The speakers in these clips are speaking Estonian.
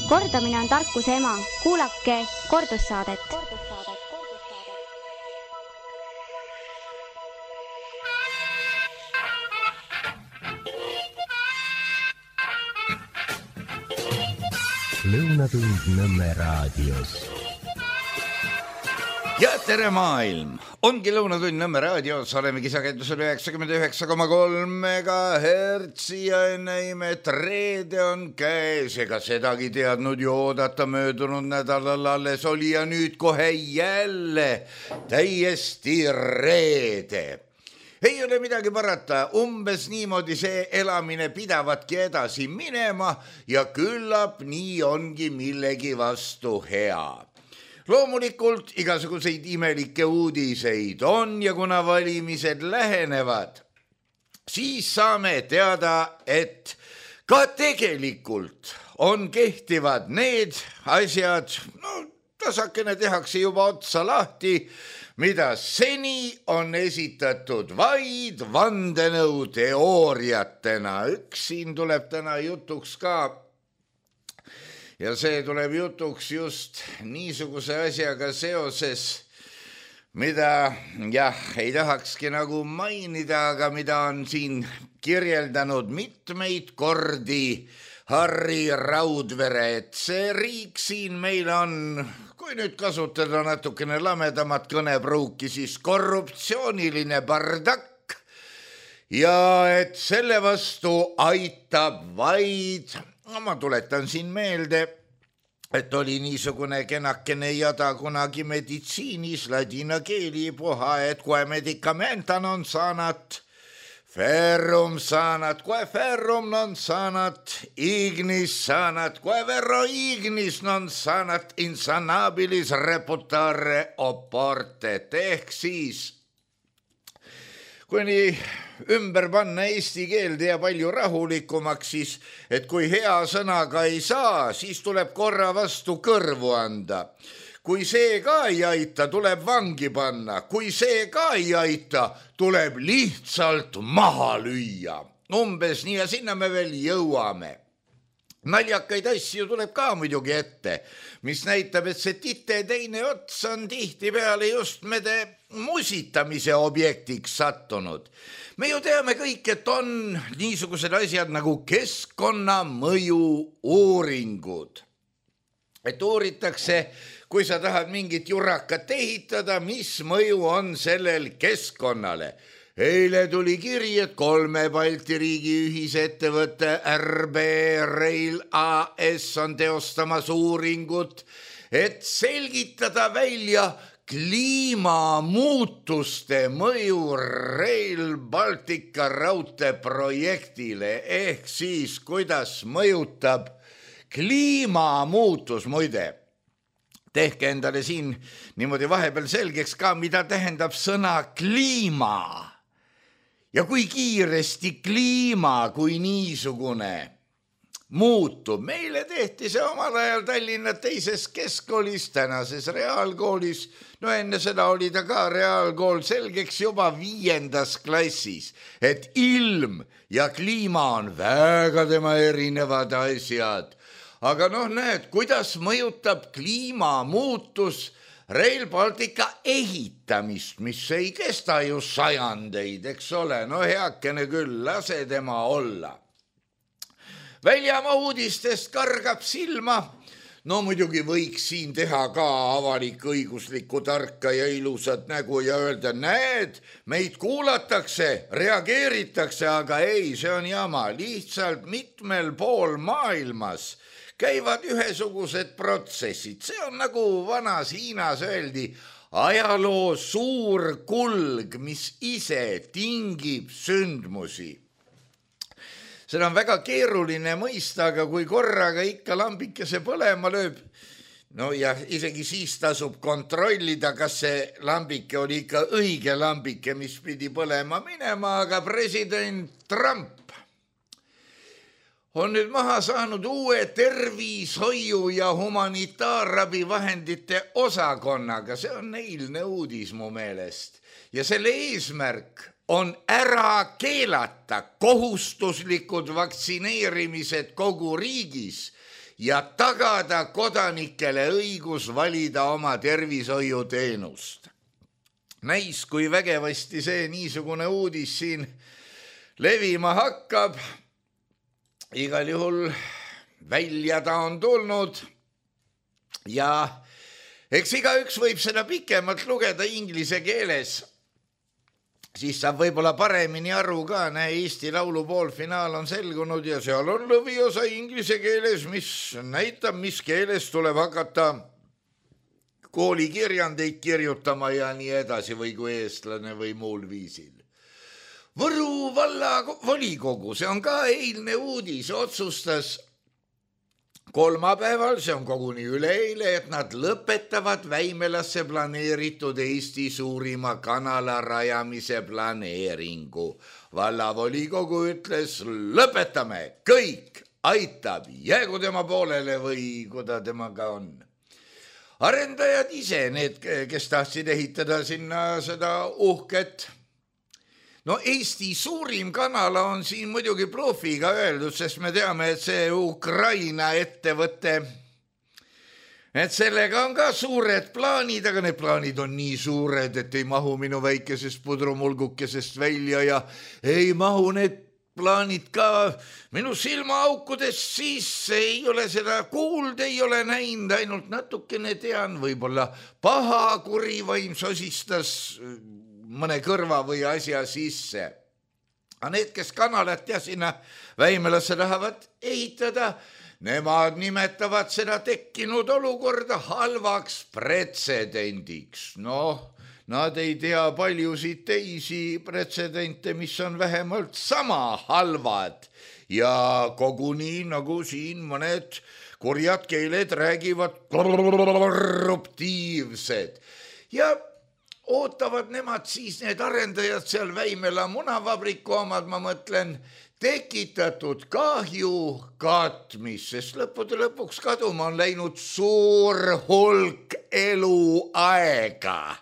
Kordamine on tarkuse ema. Kuulake kordussaadet. Lõunatund Nõmme raadios. Ja tere maailm! Ongi Lõunatund Nõmme raadios, oleme kisakendusel 99,3 MHz ja enne imet reede on käes, ega sedagi teadnud ju oodata möödunud nädalal alles oli ja nüüd kohe jälle täiesti reede. Ei ole midagi parata, umbes niimoodi see elamine pidavatki edasi minema ja küllap nii ongi millegi vastu hea. Loomulikult igasuguseid imelikke uudiseid on ja kuna valimised lähenevad, siis saame teada, et ka tegelikult on kehtivad need asjad, tasakene tehakse juba otsa lahti, mida seni on esitatud vaid vandenõuteooriatena. Üks siin tuleb täna jutuks ka ja see tuleb jutuks just niisuguse asjaga seoses, mida ei tahakski nagu mainida, aga mida on siin kirjeldanud mitmeid kordi Harri Raudvere, et see riik siin meil on, kui nüüd kasutada natukene lamedamat kõnepruuki, siis korruptsiooniline bardakk ja et selle vastu aitab vaid, ma tuletan siin meelde, et oli niisugune kenakene jada kunagi meditsiinis ladina keeli puha, et kui medicamenta non sanat, ferrum sanat, quae ferrum non sanat, ignis sanat, quae verro ignis non sanat, insanabilis reputare oportet. Ehk siis, kui nii ümber panna eesti keelde ja palju rahulikumaks, siis, et kui hea sõnaga ei saa, siis tuleb korra vastu kõrvu anda. Kui see ka ei aita, tuleb vangi panna. Kui see ka ei aita, tuleb lihtsalt maha lüüa. Umbes nii ja sinna me veel jõuame. Naljakaid asju tuleb ka muidugi ette, mis näitab, et see tite teine ots on tihti peale just mede musitamise objektiks sattunud. Me ju teame kõik, et on niisugused asjad nagu keskkonnamõju uuringud. Et uuritakse, kui sa tahad mingit jurakat ehitada, mis mõju on sellel keskkonnale. Eile tuli kiri, et 3 Balti riigi ühisettevõtte RB Rail AS on teostamas uuringut, et selgitada välja kliimamuutuste mõju Rail Baltica raudteeprojektile, ehk siis kuidas mõjutab kliimamuutus, muide. Tehke endale siin niimoodi vahepeal selgeks ka, mida tähendab sõna kliima. Ja kui kiiresti kliima kui niisugune muutub. Meile tehti see omal ajal Tallinna teises keskkoolis, tänases reaalkoolis. No enne seda oli ta ka reaalkool selgeks juba 5. klassis, et ilm ja kliima on väga tema erinevad asjad. Aga näed, kuidas mõjutab kliimamuutus Rail Baltica ehitamist, mis ei kesta ju sajandeid, eks ole. Heakene küll, lase tema olla. Väljamaa uudistest kargab silma. Muidugi võiks siin teha ka avalik-õiguslikku tarka ja ilusat nägu ja öelda, näed, meid kuulatakse, reageeritakse, aga ei, see on jama. Lihtsalt mitmel pool maailmas käivad ühesugused protsessid. See on nagu vanas Hiinas öeldi, ajaloo suur kulg, mis ise tingib sündmusi. Seda on väga keeruline mõista, aga kui korraga ikka lambikese põlema lööb, ja isegi siis tasub kontrollida, kas see lambike oli ikka õige lambike, mis pidi põlema minema, aga president Trump on nüüd maha saanud uue tervishoiu ja humanitaarabivahendite osakonnaga. See on eilne uudis mu meelest. Ja selle eesmärk on ära keelata kohustuslikud vaktsineerimised kogu riigis ja tagada kodanikele õigus valida oma tervishoiuteenust. Näis, kui vägevasti see niisugune uudis siin levima hakkab. Igal juhul välja ta on tulnud ja eks igaüks võib seda pikemalt lugeda inglise keeles. Siis saab võib-olla paremini aru ka, Eesti Laulu poolfinaal on selgunud ja seal on lõviosa inglise keeles, mis näitab, mis keeles tuleb hakata koolikirjandeid kirjutama ja nii edasi või kui eestlane või muul viisil. Võru valla volikogu, see on ka eilne uudis, otsustas kolmapäeval, see on koguni üleeile, et nad lõpetavad Väimelasse planeeritud Eesti suurima kanala rajamise planeeringu. Vallavolikogu ütles, lõpetame, kõik aitab, jäägu tema poolele või kuda temaga on. Arendajad ise, need, kes tahtsid ehitada sinna seda uhket. No Eesti suurim kanala on siin muidugi blufiga öeldud, sest me teame, et see Ukraina ettevõte, et sellega on ka suured plaanid, aga need plaanid on nii suured, et ei mahu minu väikesest pudrumulgukesest välja ja ei mahu need plaanid ka minu silmaaukudes sisse, ei ole seda kuuld, ei ole näinud, ainult natukene tean, võib-olla paha kurivaim sosistas mõne kõrva või asja sisse. Aga need, kes kanalat ja sinna Väimelasse tahavad ehitada, nemad nimetavad seda tekkinud olukorda halvaks pretsedendiks. Nad ei tea paljusid teisi pretsedente, mis on vähemalt sama halvad ja koguni nagu siin mõned kurjad keeled räägivad korruptiivsed ja ootavad nemad siis need arendajad seal Väimela munavabriku omad, ma mõtlen, tekitatud kahju katmis, sest lõppude lõpuks kaduma on läinud suur hulk eluaega.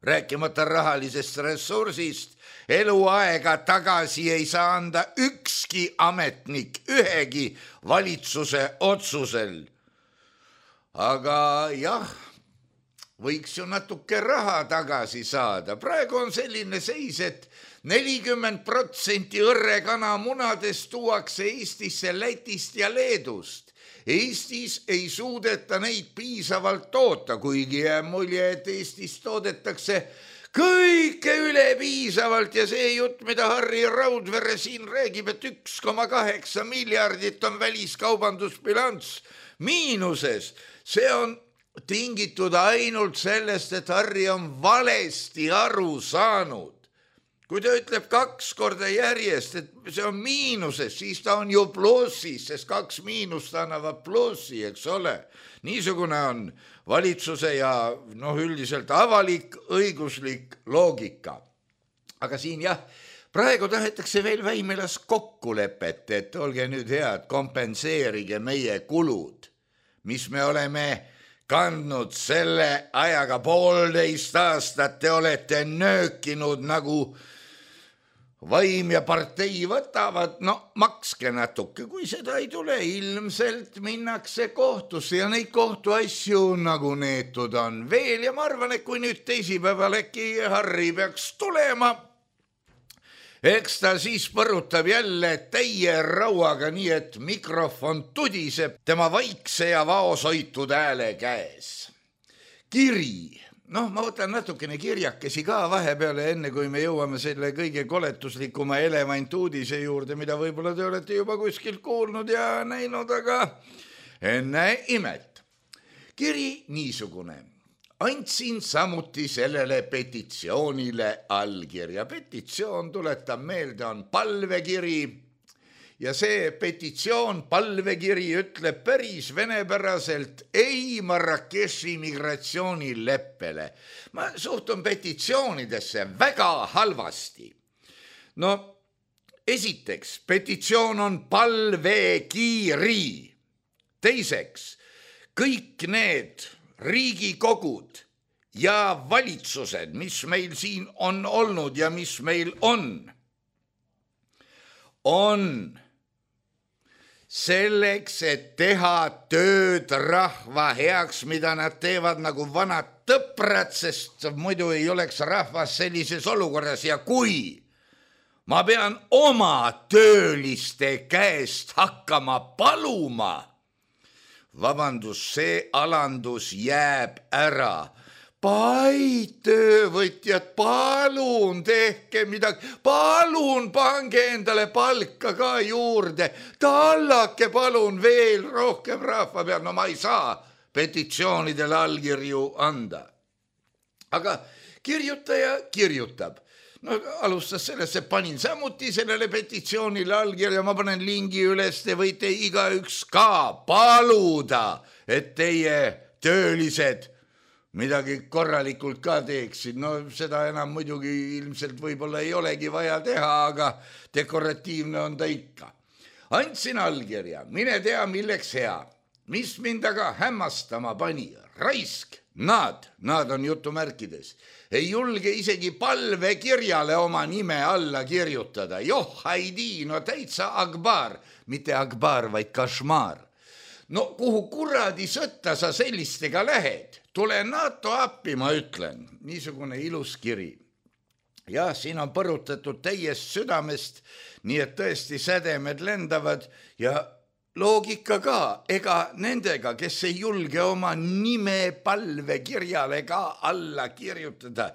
Rääkimata rahalisest ressursist, eluaega tagasi ei saa anda ükski ametnik ühegi valitsuse otsusel. Aga jah, võiks ju natuke raha tagasi saada. Praegu on selline seis, et 40% õrrekanamunadest tuuakse Eestisse Lätist ja Leedust. Eestis ei suudeta neid piisavalt toota, kuigi jääb mulje, et Eestis toodetakse kõike üle piisavalt ja see jutt, mida Harri Raudvere siin räägib, et 1,8 miljardit on väliskaubandusbilanss miinuses, see on tingitud ainult sellest, et Harri on valesti aru saanud. Kui ta ütleb 2 korda järjest, et see on miinuses, siis ta on ju plussis, sest 2 miinust annavad plussi, eks ole. Niisugune on valitsuse ja üldiselt avalik õiguslik loogika. Aga siin jah, praegu tahetakse veel Väimelas kokkulepet, et olge nüüd head, kompenseerige meie kulud, mis me oleme kandnud selle ajaga 1,5 aastat, te olete nöökinud nagu vaim ja partei võtavad, makske natuke, kui seda ei tule, ilmselt minnakse kohtusse ja neid kohtuasju nagu neetud on veel ja ma arvan, et kui nüüd teisipäeval äkki Harri peaks tulema, eks ta siis põrutab jälle täie rauaga, nii et mikrofon tudiseb tema vaikse ja vaoshoitud hääle käes. Kiri. Ma võtan natukene kirjakesi ka vahepeale, enne kui me jõuame selle kõige koletuslikuma elevantuudise juurde, mida võib-olla te olete juba kuskilt kuulnud ja näinud, aga enne imet. Kiri niisugune. Andsin samuti sellele petitsioonile allkirja. Petitsioon, tuletab meelde, on palvekiri ja see petitsioon, palvekiri ütleb päris venepäraselt ei Marrakechi migratsioonileppele. Ma suhtun petitsioonidesse väga halvasti. Esiteks, petitsioon on palvekiri. Teiseks, kõik need riigikogud ja valitsused, mis meil siin on olnud ja mis meil on selleks, et teha tööd rahva heaks, mida nad teevad nagu vanad tõprad, sest muidu ei oleks rahvas sellises olukorras ja kui ma pean oma tööliste käest hakkama paluma, vabandus, see alandus jääb ära. Töövõtjad, palun tehke midagi, palun pange endale palka ka juurde, tallake palun veel rohkem rahva peal, no ma ei saa petitsioonidele allkirju anda. Aga kirjutaja kirjutab. No alustas sellest, et panin samuti sellele petitsioonile allkirja, ma panen lingi üles, te võite igaüks ka paluda, et teie töölised midagi korralikult ka teeksid. No seda enam muidugi ilmselt võib-olla ei olegi vaja teha, aga dekoratiivne on ta ikka. Andsin allkirja, mine tea milleks hea, mis mind aga hämmastama pani, raisk, nad on jutumärkides, ei julge isegi palvekirjale oma nime alla kirjutada. Joh, haidi, no täitsa Akbar, mitte Akbar, vaid Kašmar. No kuhu kuradi sõtta sa sellistega lähed? Tule NATO appi, ma ütlen. Niisugune ilus kiri. Ja siin on põrutatud täiest südamest, nii et tõesti sädemed lendavad ja loogika ka, ega nendega, kes ei julge oma nime palvekirjale ka alla kirjutada.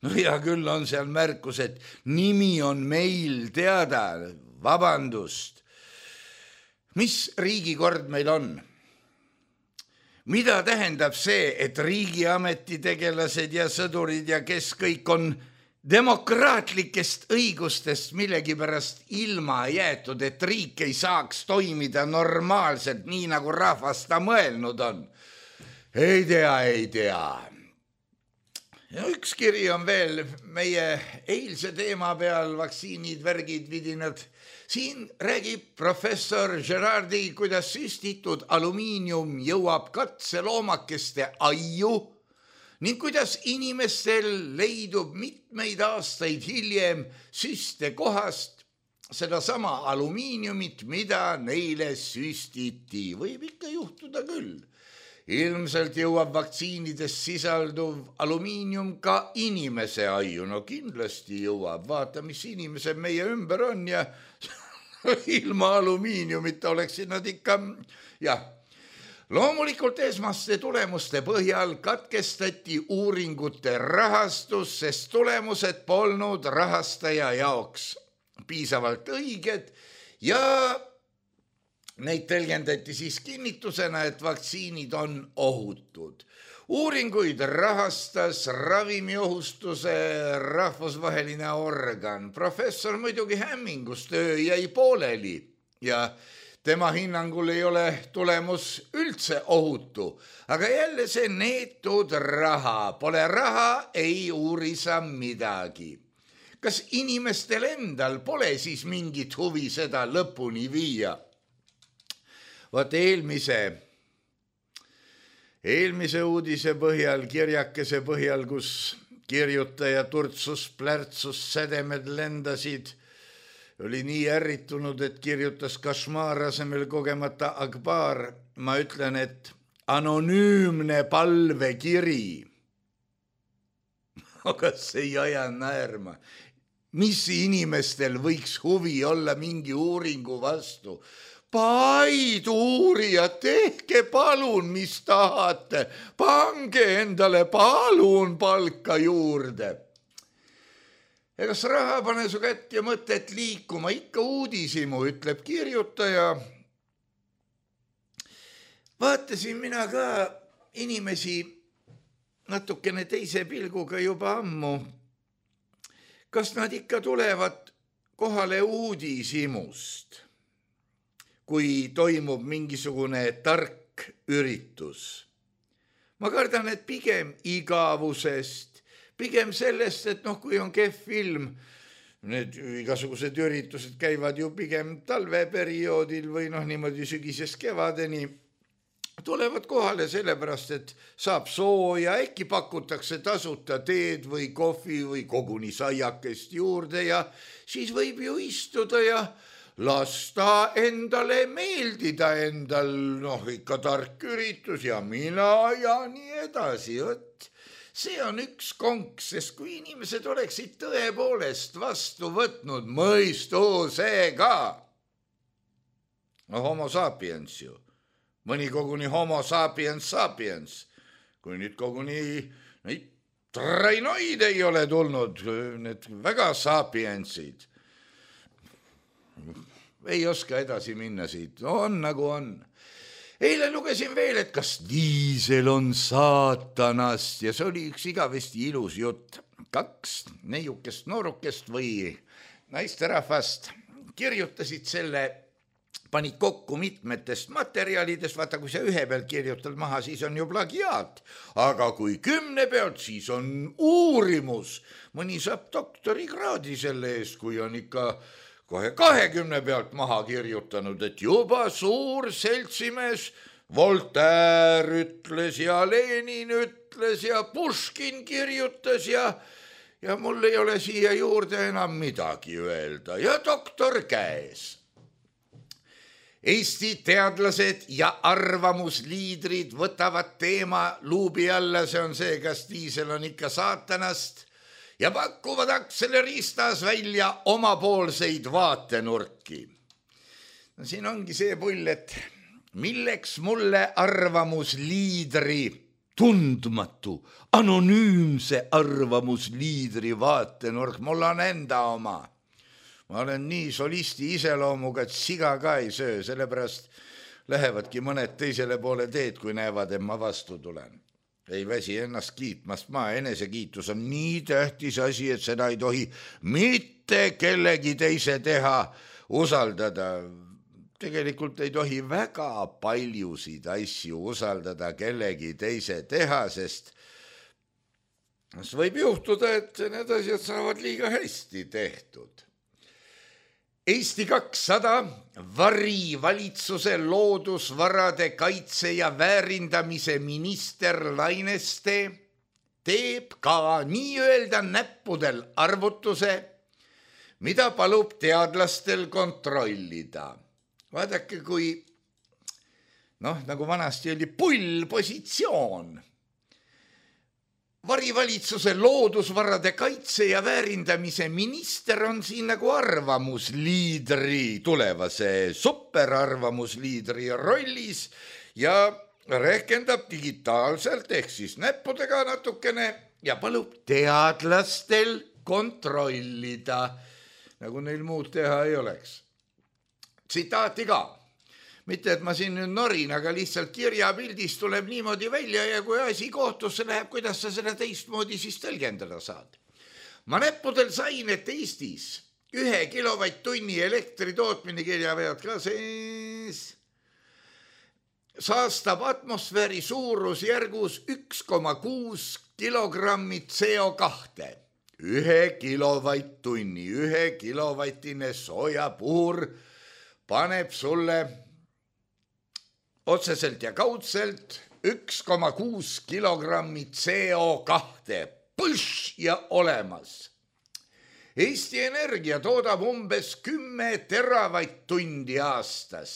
No ja küll on seal märkus, et nimi on meil teada, vabandust. Mis riigikord meil on? Mida tähendab see, et riigiametitegelased ja sõdurid ja kes kõik on demokraatlikest õigustest millegipärast ilma jäetud, et riik ei saaks toimida normaalselt, nii nagu rahvas ta mõelnud on? Ei tea. Ja üks kiri on veel meie eilse teema peal, vaktsiinid, värgid, vidinad. Siin räägib professor Gerardi, kuidas süstitud alumiinium jõuab katseloomakeste aiu ning kuidas inimestel leidub mitmeid aastaid hiljem süste kohast sedasama alumiiniumit, mida neile süstiti. Võib ikka juhtuda küll. Ilmselt jõuab vaktsiinides sisalduv alumiinium ka inimese aiu. No kindlasti jõuab. Vaata, mis inimesed meie ümber on ja ilma alumiiniumita oleksid nad ikka, jah. Loomulikult esmaste tulemuste põhjal katkestati uuringute rahastus, sest tulemused polnud rahastaja jaoks piisavalt õiged ja neid tõlgendati siis kinnitusena, et vaktsiinid on ohutud. Uuringuid rahastas ravimiohustuse rahvusvaheline organ. Professor muidugi hämmingus, töö jäi pooleli ja tema hinnangul ei ole tulemus üldse ohutu. Aga jälle see neetud raha. Pole raha, ei uuri sa midagi. Kas inimestel endal pole siis mingit huvi seda lõpuni viia? Vaat eelmise uudise põhjal, kirjakese põhjal, kus kirjutaja turtsus, plärtsus, sädemed lendasid, oli nii ärritunud, et kirjutas Kašmar asemel kogemata Akbar. Ma ütlen, et anonüümne palvekiri. Aga see ei aja naerma. Mis inimestel võiks huvi olla mingi uuringu vastu? Paid uurijad, tehke palun, mis tahate, pange endale palun palka juurde. Egas raha pane su kätt ja mõtet liikuma, ikka uudisimu, ütleb kirjutaja. Vaatasin mina ka inimesi natukene teise pilguga juba ammu. Kas nad ikka tulevad kohale uudishimust? Kui toimub mingisugune tark üritus. Ma kardan, et pigem igavusest, pigem sellest, et kui on kehv film, need igasugused üritused käivad ju pigem talveperioodil või niimoodi sügisest kevadeni, tulevad kohale sellepärast, et saab sooja, äkki pakutakse tasuta teed või kohvi või koguni saiakest juurde ja siis võib ju istuda ja las ta endale meeldida endal, ikka tark üritus ja mina ja nii edasi, see on üks konks, sest kui inimesed oleksid tõepoolest vastu võtnud mõistusega, homo sapiens ju, mõni koguni homo sapiens, kui nüüd koguni neid trainoid ei ole tulnud, need väga sapiensid, ei oska edasi minna siit, on nagu on. Eile lugesin veel, et kas diisel on saatanast ja see oli üks igavesti ilus jutt. 2 neiukest noorukest või naisterahvast kirjutasid selle, panid kokku mitmetest materjalidest, vaata kui sa ühe pealt kirjutad maha, siis on ju plagiaat, aga kui 10 pealt, siis on uurimus. Mõni saab doktorikraadi selle eest, kui on ikka kohe 20 pealt maha kirjutanud, et juba suur seltsimees Voltaire ütles ja Lenin ütles ja Puškin kirjutas ja mul ei ole siia juurde enam midagi öelda ja doktor käes. Eesti teadlased ja arvamusliidrid võtavad teema luubi alla, see on see, kas diisel on ikka saatanast, ja pakuvad akseleriistas välja omapoolseid vaatenurki. No siin ongi see pull, et milleks mulle arvamusliidri, tundmatu, anonüümse arvamusliidri vaatenurk, mul on enda oma. Ma olen nii solisti iseloomuga, et siga ka ei söö, sellepärast lähevadki mõned teisele poole teed, kui näevad, et ma vastu tulen. Ei väsi ennast kiitmast, enesekiitus on nii tähtis asi, et seda ei tohi mitte kellegi teise teha, usaldada. Tegelikult ei tohi väga paljusid asju usaldada kellegi teise teha, sest võib juhtuda, et need asjad saavad liiga hästi tehtud. Eesti 200 varivalitsuse loodusvarade kaitse ja väärindamise minister Laineste teeb ka nii-öelda näppudel arvutuse, mida palub teadlastel kontrollida. Vaadake, kui, nagu vanasti oli pullpositsioon. Varivalitsuse loodusvarade kaitse ja väärindamise minister on siin nagu arvamusliidri, tulevase superarvamusliidri rollis ja rehkendab digitaalselt ehk siis näppudega natukene ja palub teadlastel kontrollida, nagu neil muud teha ei oleks. Tsitaati ka. Mitte, et ma siin nüüd norin, aga lihtsalt kirjapildis tuleb niimoodi välja ja kui asi kohtusse läheb, kuidas sa seda teistmoodi siis tõlgendada saad. Ma näppudel sain, et Eestis 1 kilovatt-tunni elektri tootmine kirjavead ka sees saastab atmosfääri suurusjärgus 1,6 kilogrammi CO2. 1 kilovatt-tunni, 1 kilovatine soojapuur paneb sulle otseselt ja kaudselt 1,6 kilogrammi CO2. Põš ja olemas. Eesti Energia toodab umbes 10 teravatt-tundi aastas.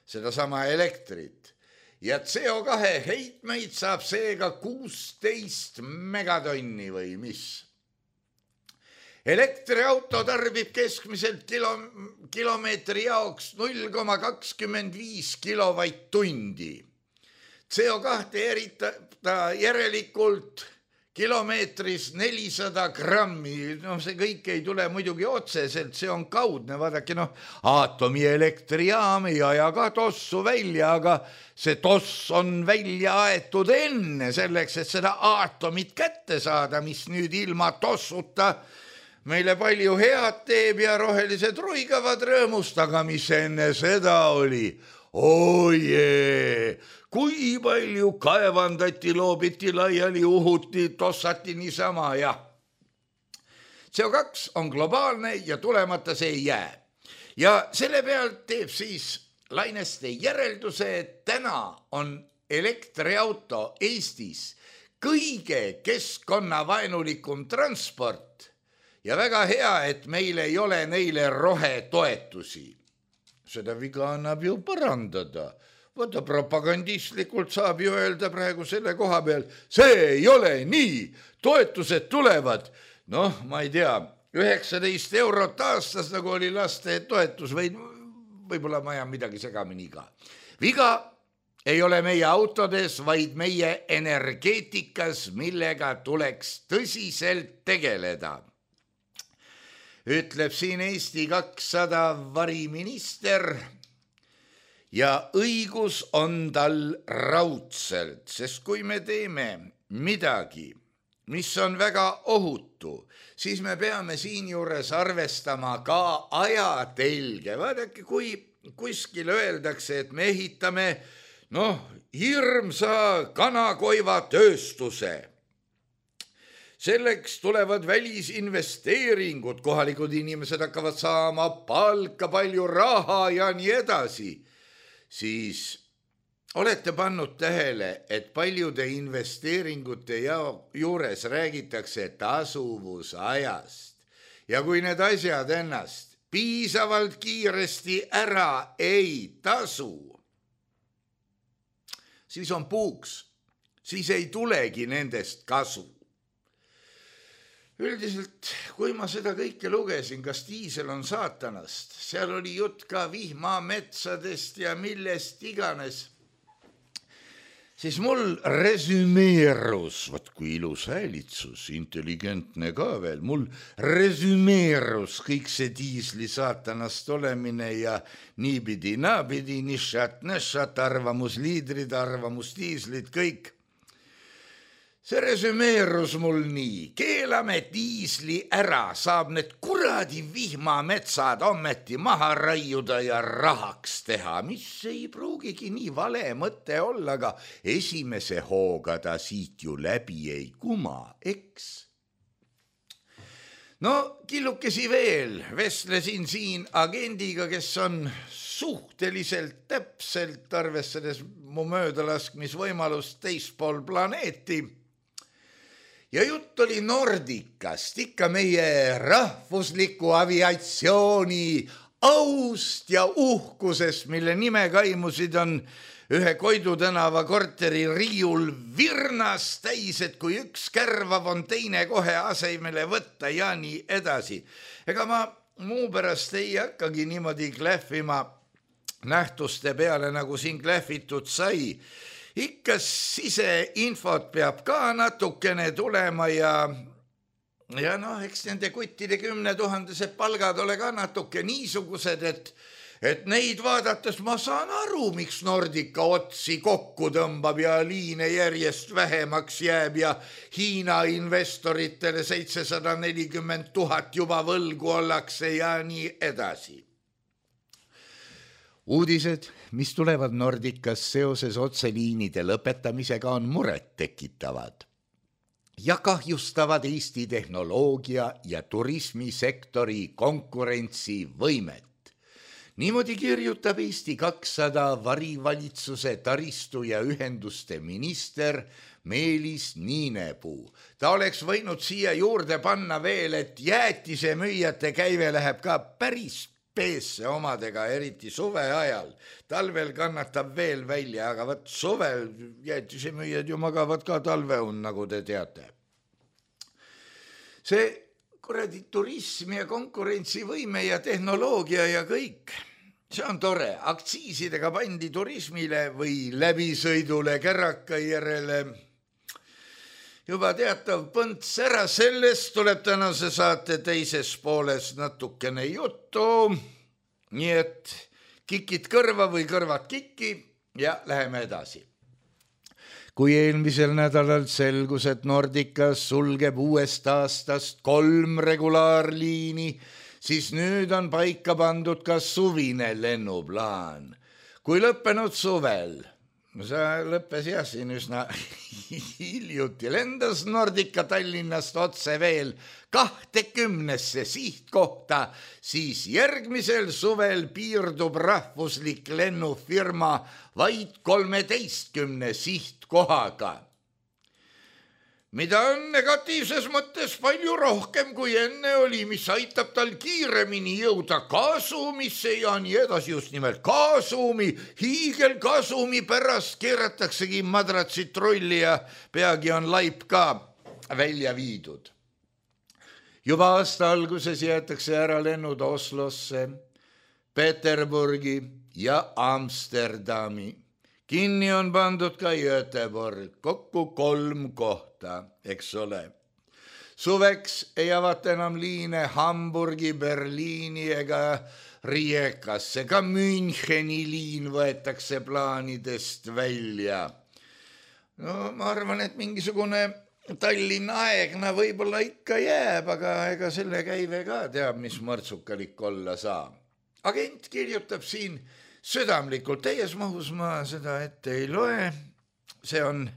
Sedasama elektrit. Ja CO2 heitmeid saab seega 16 megatonni või mis. Elektriauto tarbib keskmiselt kilomeetri jaoks 0,25 kilovatt-tundi. CO2 eritada järelikult kilomeetris 400 grammi. See kõik ei tule muidugi otseselt, see on kaudne. Vaadake, aatomielektrijaam ei aja ka tossu välja, aga see toss on välja aetud enne selleks, et seda aatomit kätte saada, mis nüüd ilma tossuta meile palju head teeb ja rohelised ruigavad rõõmust, aga mis enne seda oli? Ojee, kui palju kaevandati, loobiti laiali, uhuti, tossati niisama ja CO2 on globaalne ja tulemata see ei jää. Ja selle pealt teeb siis Laineste järelduse, et täna on elektriauto Eestis kõige keskkonnavaenulikum transport ja väga hea, et meil ei ole neile rohetoetusi. Seda viga annab ju parandada. Võtta propagandistlikult saab ju öelda praegu selle koha peal, see ei ole nii, toetused tulevad, noh, ma ei tea, 19 eurot aastas, nagu oli laste toetus või võib-olla ma ajan midagi segamini ka. Viga ei ole meie autodes, vaid meie energeetikas, millega tuleks tõsiselt tegeleda. Ütleb siin Eesti 200 variminister ja õigus on tal raudselt, sest kui me teeme midagi, mis on väga ohutu, siis me peame siinjuures arvestama ka ajatelge. Vaadake, kui kuskil öeldakse, et me ehitame hirmsa kanakoiva tööstuse. Selleks tulevad välisinvesteeringud, kohalikud inimesed hakkavad saama palka, palju raha ja nii edasi. Siis olete pannud tähele, et paljude investeeringute juures räägitakse tasuvusajast. Ja kui need asjad ennast piisavalt kiiresti ära ei tasu, siis on puuks, siis ei tulegi nendest kasu. Üldiselt, kui ma seda kõike lugesin, kas diisel on saatanast, seal oli jutt ka vihmametsadest ja millest iganes, siis mul resümeerus, vaat kui ilus häälitsus, intelligentne ka veel, mul resümeerus kõik see diisli saatanast olemine ja niipidi, naapidi, nišat, arvamusliidrid, arvamusdiislid, kõik. See resümeerus mul nii, keelame diisli ära, saab need kuradi vihmametsad ometi maha raiuda ja rahaks teha, mis ei pruugigi nii vale mõte olla, aga esimese hooga ta siit ju läbi ei kuma, eks? No killukesi veel, vestlesin siin agendiga, kes on suhteliselt täpselt arvestades mu möödalaskmisvõimalust teispool planeeti. Ja jutt oli Nordicast, ikka meie rahvusliku aviatsiooni aust ja uhkusest, mille nime kaimusid on ühe Koidu tänava korteri riiul virnas täis, et kui üks kärvav on teine kohe asemele võtta ja nii edasi. Ega ma muu pärast ei hakkagi niimoodi klähvima nähtuste peale, nagu siin klähvitud sai. Ikka siseinfot peab ka natukene tulema ja eks nende kuttide 10 000 palgad ole ka natuke niisugused, et neid vaadates ma saan aru, miks Nordica otsi kokku tõmbab ja liine järjest vähemaks jääb ja Hiina investoritele 740 000 juba võlgu ollakse ja nii edasi. Uudised, mis tulevad Nordicas seoses otseliinide lõpetamisega, on muret tekitavad ja kahjustavad Eesti tehnoloogia ja turismisektori konkurentsivõimet. Niimoodi kirjutab Eesti 200 varivalitsuse taristu ja ühenduste minister Meelis Niinepuu. Ta oleks võinud siia juurde panna veel, et jäätise müüjate käive läheb ka päris peesse omadega, eriti suve ajal. Talvel kannatab veel välja, aga võt suvel jäätisemüüjad ju magavad ka talveun, nagu te teate. See kuradi turism ja konkurentsivõime ja tehnoloogia ja kõik, see on tore. Aktsiisidega pandi turismile või läbisõidule Kärraka järele juba teatav põnts ära, sellest tuleb tänase saate teises pooles natukene juttu, nii et kikid kõrva või kõrvad kikki ja läheme edasi. Kui eelmisel nädalal selgus, et Nordica sulgeb uuest aastast 3 regulaarliini, siis nüüd on paika pandud ka suvine lennuplaan. Kui lõppenud suvel, see lõppes jah siin üsna hiljuti, lendas Nordica Tallinnast otse veel 20 sihtkohta, siis järgmisel suvel piirdub rahvuslik lennufirma vaid 13 sihtkohaga. mida on negatiivses mõttes palju rohkem kui enne oli, mis aitab tal kiiremini jõuda kasumisse ja nii edasi, just nimelt kasumi, hiigelkasumi pärast keerataksegi madratsid trolli ja peagi on laip ka välja viidud. Juba aasta alguses jäetakse ära lennud Oslosse, Peterburgi ja Amsterdami. Kinni on pandud ka Göteborg, kokku 3 kohta, eks ole. Suveks ei avata enam liine Hamburgi, Berliini ega Rijekasse, ka Müncheni liin võetakse plaanidest välja. No ma arvan, et mingisugune Tallinna aegna võib-olla ikka jääb, aga ega selle käive ka teab, mis mõrtsukalik olla saa. Agent kirjutab siin südamlikult, täies mahus ma seda ette ei loe, see on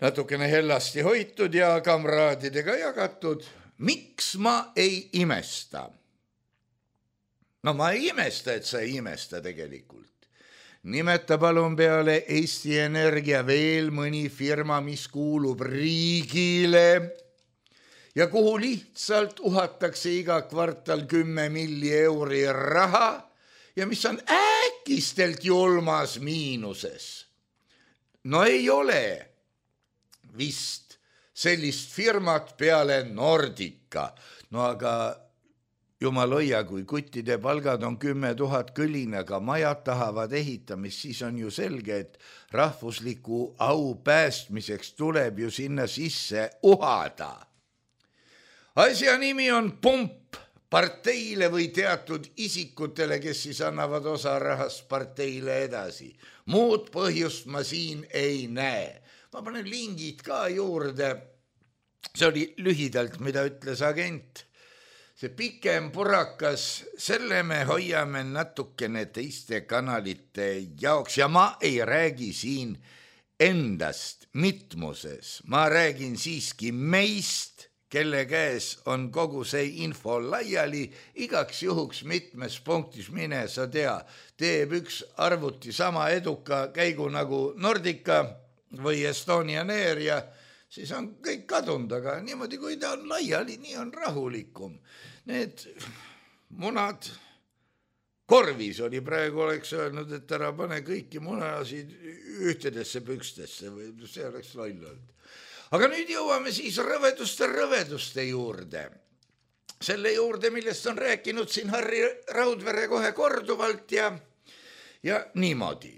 natukene hellasti hoitud ja kamraadidega jagatud. Miks ma ei imesta? No ma ei imesta, et sa ei imesta tegelikult. Nimeta palun peale Eesti Energia veel mõni firma, mis kuulub riigile ja kuhu lihtsalt uhatakse iga kvartal 10 milli euri raha ja mis on äkistelt julmas miinuses. No ei ole vist sellist firmat peale Nordica. No aga jumal hoia, kui kuttide palgad on 10 000 kõlinaga, majad tahavad ehitamist, siis on ju selge, et rahvusliku au päästmiseks tuleb ju sinna sisse uhada. Asja nimi on pump parteile või teatud isikutele, kes siis annavad osa rahast parteile edasi. Muud põhjust ma siin ei näe. Ma panen lingid ka juurde. See oli lühidalt, mida ütles agent. See pikem purakas, selle me hoiame natukene teiste kanalite jaoks ja ma ei räägi siin endast mitmuses. Ma räägin siiski meist, kelle käes on kogu see info laiali, igaks juhuks mitmes punktis mine, sa tea, teeb üks arvuti sama eduka käigu nagu Nordica või Estonian Air ja siis on kõik kadunud, aga niimoodi, kui ta on laiali, nii on rahulikum. Need munad, korvis oli praegu, oleks öelnud, et ära pane kõiki munasid ühtedesse pükstesse või see oleks loll olnud. Aga nüüd jõuame siis rõveduste juurde. Selle juurde, millest on rääkinud siin Harri Raudvere kohe korduvalt ja niimoodi.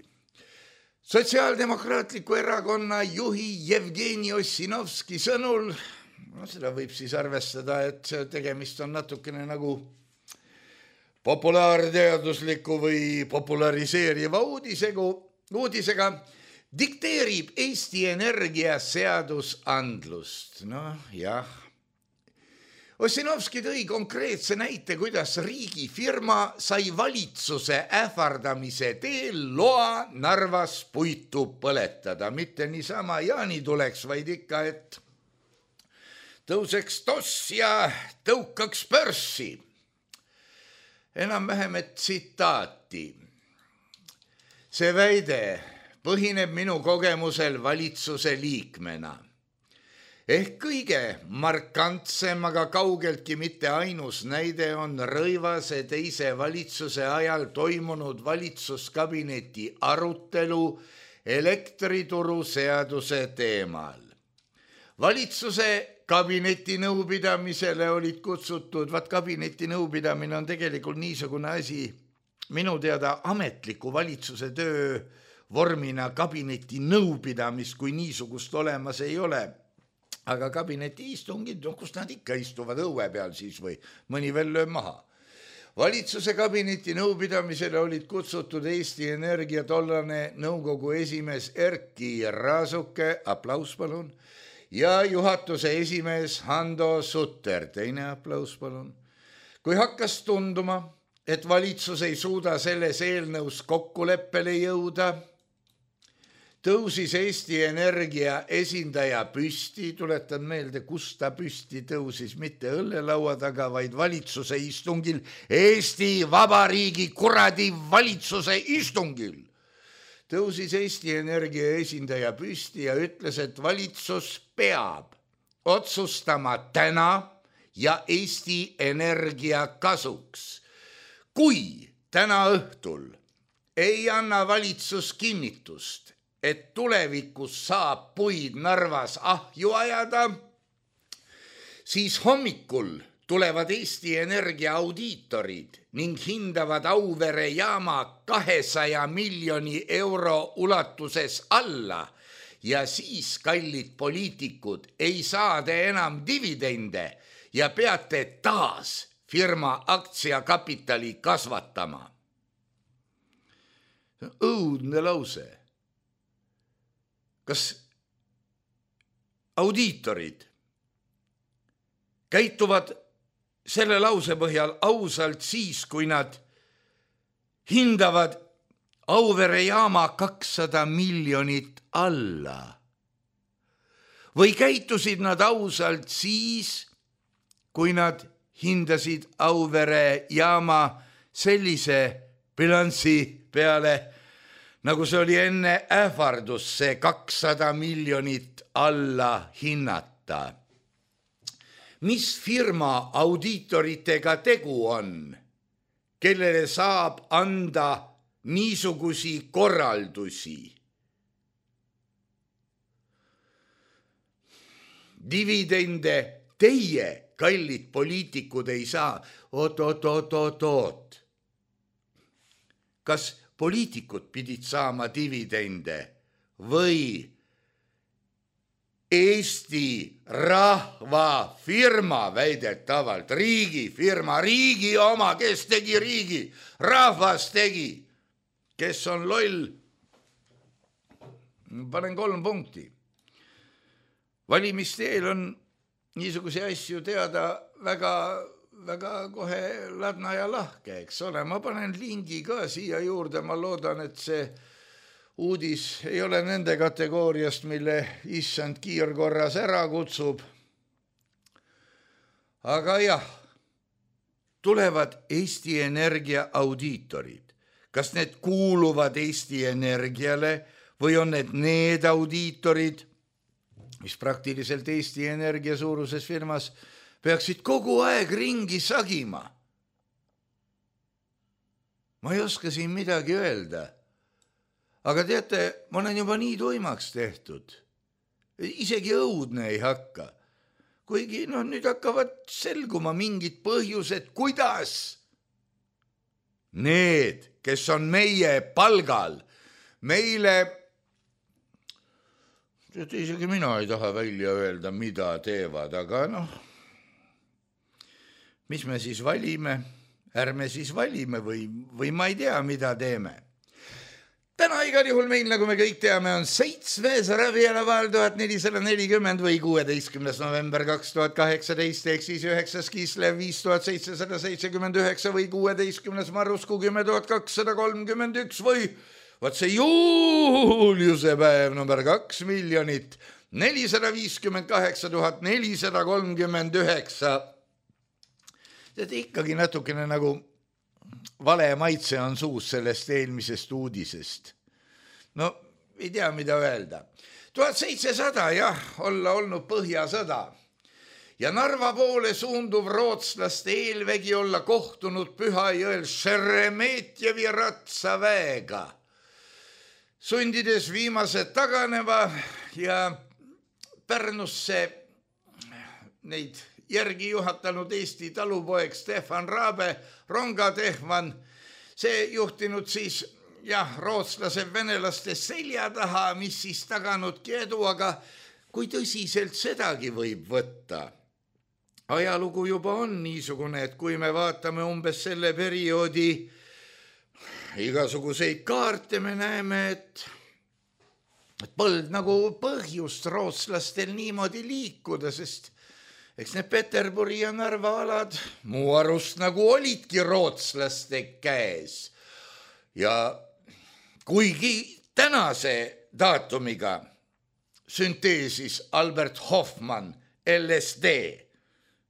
Sotsiaaldemokraatliku erakonna juhi Jevgeni Ossinovski sõnul, seda võib siis arvestada, et tegemist on natukene nagu populaarteadusliku või populariseeriva uudisega, dikteerib Eesti Energia seadusandlust. No jah. Ossinovski tõi konkreetse näite, kuidas riigifirma sai valitsuse ähvardamise teel loa Narvas puitu põletada. Mitte niisama Jaani tuleks, vaid ikka, et tõuseks toss ja tõukaks börssi. Enam-vähem, et tsitaati. See väide põhineb minu kogemusel valitsuse liikmena. Ehk kõige markantsem, aga kaugeltki mitte ainus näide on Rõivase teise valitsuse ajal toimunud valitsuskabineti arutelu elektrituru seaduse teemal. Valitsuse kabineti nõupidamisele olid kutsutud, kabineti nõupidamine on tegelikult niisugune asi, minu teada ametliku valitsuse töö vormina kabineti nõupidamist, kui niisugust olemas ei ole. Aga kabineti istungid, kus nad ikka istuvad õue peal siis või mõni veel lööb maha. Valitsuse kabineti nõupidamisele olid kutsutud Eesti Energia tollane nõukogu esimees Erki Raasuke, aplaus palun, ja juhatuse esimees Hando Sutter, teine aplaus palun. Kui hakkas tunduma, et valitsus ei suuda selles eelnõus kokkuleppele jõuda, tõusis Eesti Energia esindaja püsti, tuletan meelde, kus ta püsti tõusis, mitte õllelaua taga, vaid valitsuse istungil, Eesti Vabariigi kuradi valitsuse istungil. tõusis Eesti Energia esindaja püsti ja ütles, et valitsus peab otsustama täna ja Eesti Energia kasuks. Kui täna õhtul ei anna valitsus kinnitust, et tulevikus saab puid Narvas ahju ajada, siis hommikul tulevad Eesti Energia audiitorid ning hindavad Auvere jaama 200 miljoni euro ulatuses alla ja siis, kallid poliitikud, ei saa te enam dividende ja peate taas firma aktsiakapitali kasvatama. Õudne lause. Kas audiitorid käituvad selle lause põhjal ausalt siis, kui nad hindavad Auvere jaama 200 miljonit alla? Või käitusid nad ausalt siis, kui nad hindasid Auvere jaama sellise bilansi peale, nagu see oli enne ähvardus, see 200 miljonit alla hinnata? Mis firma audiitoritega tegu on, kellele saab anda niisugusi korraldusi? Dividende teie, kallid poliitikud, ei saa. Oot. Kas poliitikud pidid saama dividende või Eesti rahva firma väidetavalt, riigifirma, riigi oma, kes tegi riigi, rahvas tegi, kes on loll? Panen 3 punkti. Valimisteel on niisuguse asju teada väga kohe ladna ja lahke, eks ole. Ma panen lingi ka siia juurde, ma loodan, et see uudis ei ole nende kategooriast, mille issand kiirkorras ära kutsub. Aga jah, tulevad Eesti Energia audiitorid. Kas need kuuluvad Eesti Energiale või on need audiitorid, mis praktiliselt Eesti Energia suuruses firmas peaksid kogu aeg ringi sagima? Ma ei oska siin midagi öelda. Aga teate, ma olen juba nii tuimaks tehtud. Isegi õudne ei hakka. Kuigi nüüd hakkavad selguma mingid põhjused, kuidas need, kes on meie palgal, meile, isegi mina ei taha välja öelda, mida teevad, aga mis me siis valime? Ärme siis valime või ma ei tea, mida teeme. Täna igal juhul meil, nagu me kõik teame, on 7. või 16. november 2018 ehk siis 9. Kislev 5779 või 16. Marrusku 10.231 või vaat see Juuliuse päev number 2 458 439. Tead, ikkagi natukene nagu vale maitse on suus sellest eelmisest uudisest. No, ei tea, mida öelda. 1700, jah, olla olnud Põhjasõda. Ja Narva poole suunduv rootslaste eelvägi olla kohtunud Pühajõel Šeremetjevi ratsaväega, sundides viimased taganeva ja Pärnusse neid järgi juhatanud Eesti talupoeg Stefan Raabe, rongatehvan, see juhtinud siis rootslase venelaste selja taha, mis siis taganudki edu, aga kui tõsiselt sedagi võib võtta? Ajalugu juba on niisugune, et kui me vaatame umbes selle perioodi igasuguseid kaarte, me näeme, et polnud nagu põhjust rootslastel niimoodi liikuda, sest eks need Peterburi ja Narva alad muu arust nagu olidki rootslaste käes. Ja kuigi tänase daatumiga sünteesis Albert Hoffmann LSD,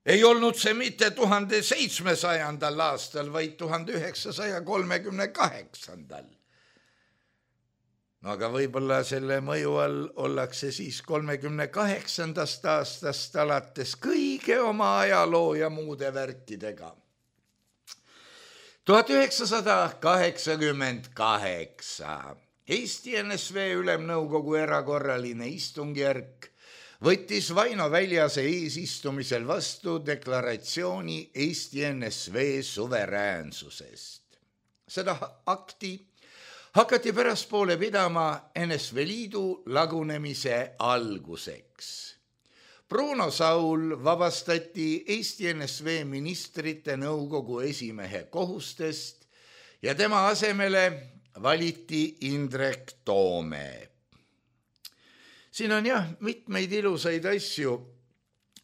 ei olnud see mitte 1700. aastal, vaid 1938. No aga võib-olla selle mõju all ollakse siis 38. aastast alates kõige oma ajaloo ja muude värkidega. 1988 Eesti NSV Ülemnõukogu erakorraline istungjärk võttis Vaino Väljase eesistumisel vastu deklaratsiooni Eesti NSV suveräänsusest. Seda akti hakati pärastpoole pidama NSV Liidu lagunemise alguseks. Bruno Saul vabastati Eesti NSV ministrite nõukogu esimehe kohustest ja tema asemele valiti Indrek Toome. Siin on mitmeid ilusaid asju.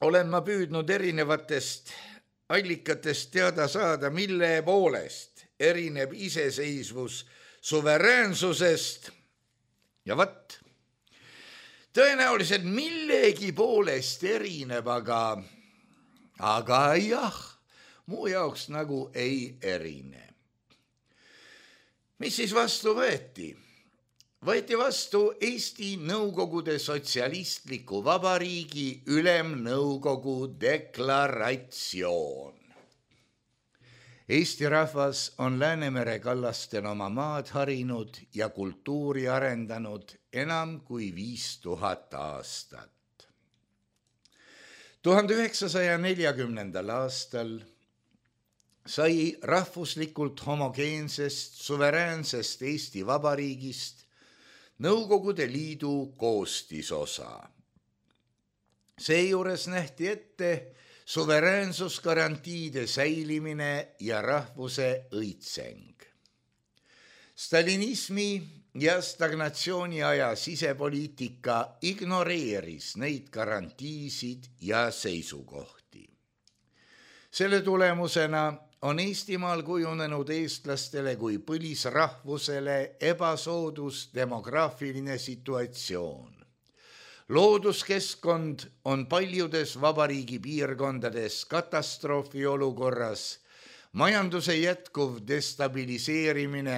Olen ma püüdnud erinevatest allikatest teada saada, mille poolest erineb iseseisvus suveräänsusest ja tõenäoliselt millegi poolest erineb, aga jah, muu jaoks nagu ei erine. Mis siis vastu võeti? Võeti vastu Eesti Nõukogude Sotsialistliku Vabariigi Ülemnõukogu deklaratsioon. Eesti rahvas on Läänemere kallastel oma maad harinud ja kultuuri arendanud enam kui 5000 aastat. 1940. aastal sai rahvuslikult homogeensest suveräänsest Eesti Vabariigist Nõukogude Liidu koostisosa. Seejuures nähti ette suveräänsusgarantiide säilimine ja rahvuse õitseng. Stalinismi ja stagnatsiooni aja sisepoliitika ignoreeris neid garantiisid ja seisukohti. Selle tulemusena on Eestimaal kujunenud eestlastele kui põlisrahvusele ebasoodus demograafiline situatsioon. Looduskeskkond on paljudes vabariigi piirkondades katastroofi olukorras, majanduse jätkuv destabiliseerimine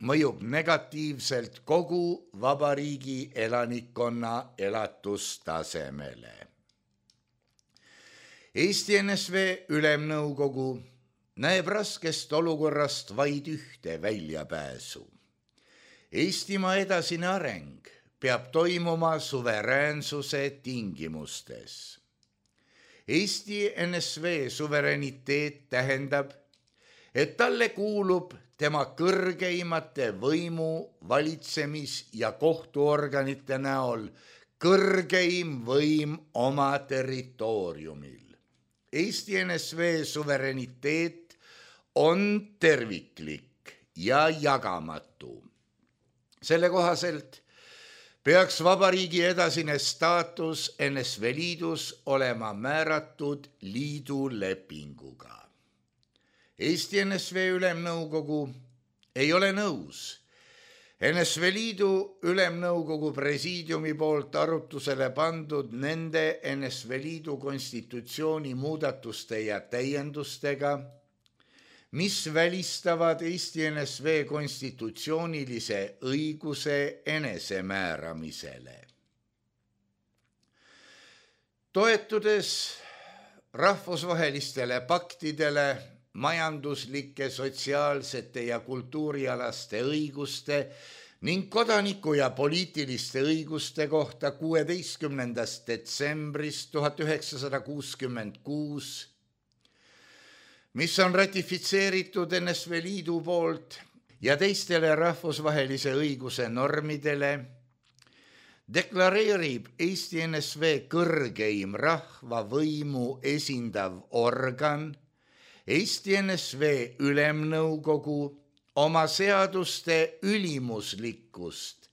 mõjub negatiivselt kogu vabariigi elanikkonna elatustasemele. Eesti NSV Ülemnõukogu näeb raskest olukorrast vaid ühte väljapääsu. Eestimaa edasine areng peab toimuma suveräänsuse tingimustes. Eesti NSV suveräniteet tähendab, et talle kuulub tema kõrgeimate võimu, valitsemis- ja kohtuorganite näol kõrgeim võim oma territooriumil. Eesti NSV suveräniteet on terviklik ja jagamatu. Selle kohaselt peaks vabariigi edasine staatus NSV Liidus olema määratud liidu lepinguga. Eesti NSV Ülemnõukogu ei ole nõus NSV Liidu Ülemnõukogu presiidiumi poolt arutusele pandud nende NSV Liidu konstitutsiooni muudatuste ja täiendustega, mis välistavad Eesti NSV konstitutsioonilise õiguse enesemääramisele. Toetudes rahvusvahelistele paktidele majanduslike, sotsiaalsete ja kultuurialaste õiguste ning kodaniku- ja poliitiliste õiguste kohta 16. detsembrist 1966, mis on ratifitseeritud NSV Liidu poolt ja teistele rahvusvahelise õiguse normidele, deklareerib Eesti NSV kõrgeim rahvavõimu esindav organ, Eesti NSV Ülemnõukogu, oma seaduste ülimuslikkust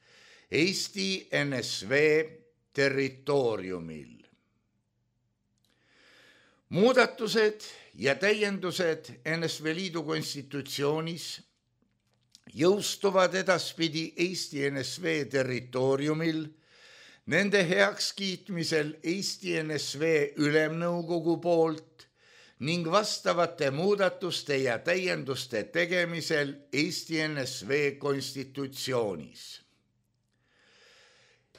Eesti NSV territooriumil. Muudatused ja täiendused NSV Liidu konstitutsioonis jõustuvad edaspidi Eesti NSV territooriumil nende heakskiitmisel Eesti NSV Ülemnõukogu poolt ning vastavate muudatuste ja täienduste tegemisel Eesti NSV konstitutsioonis.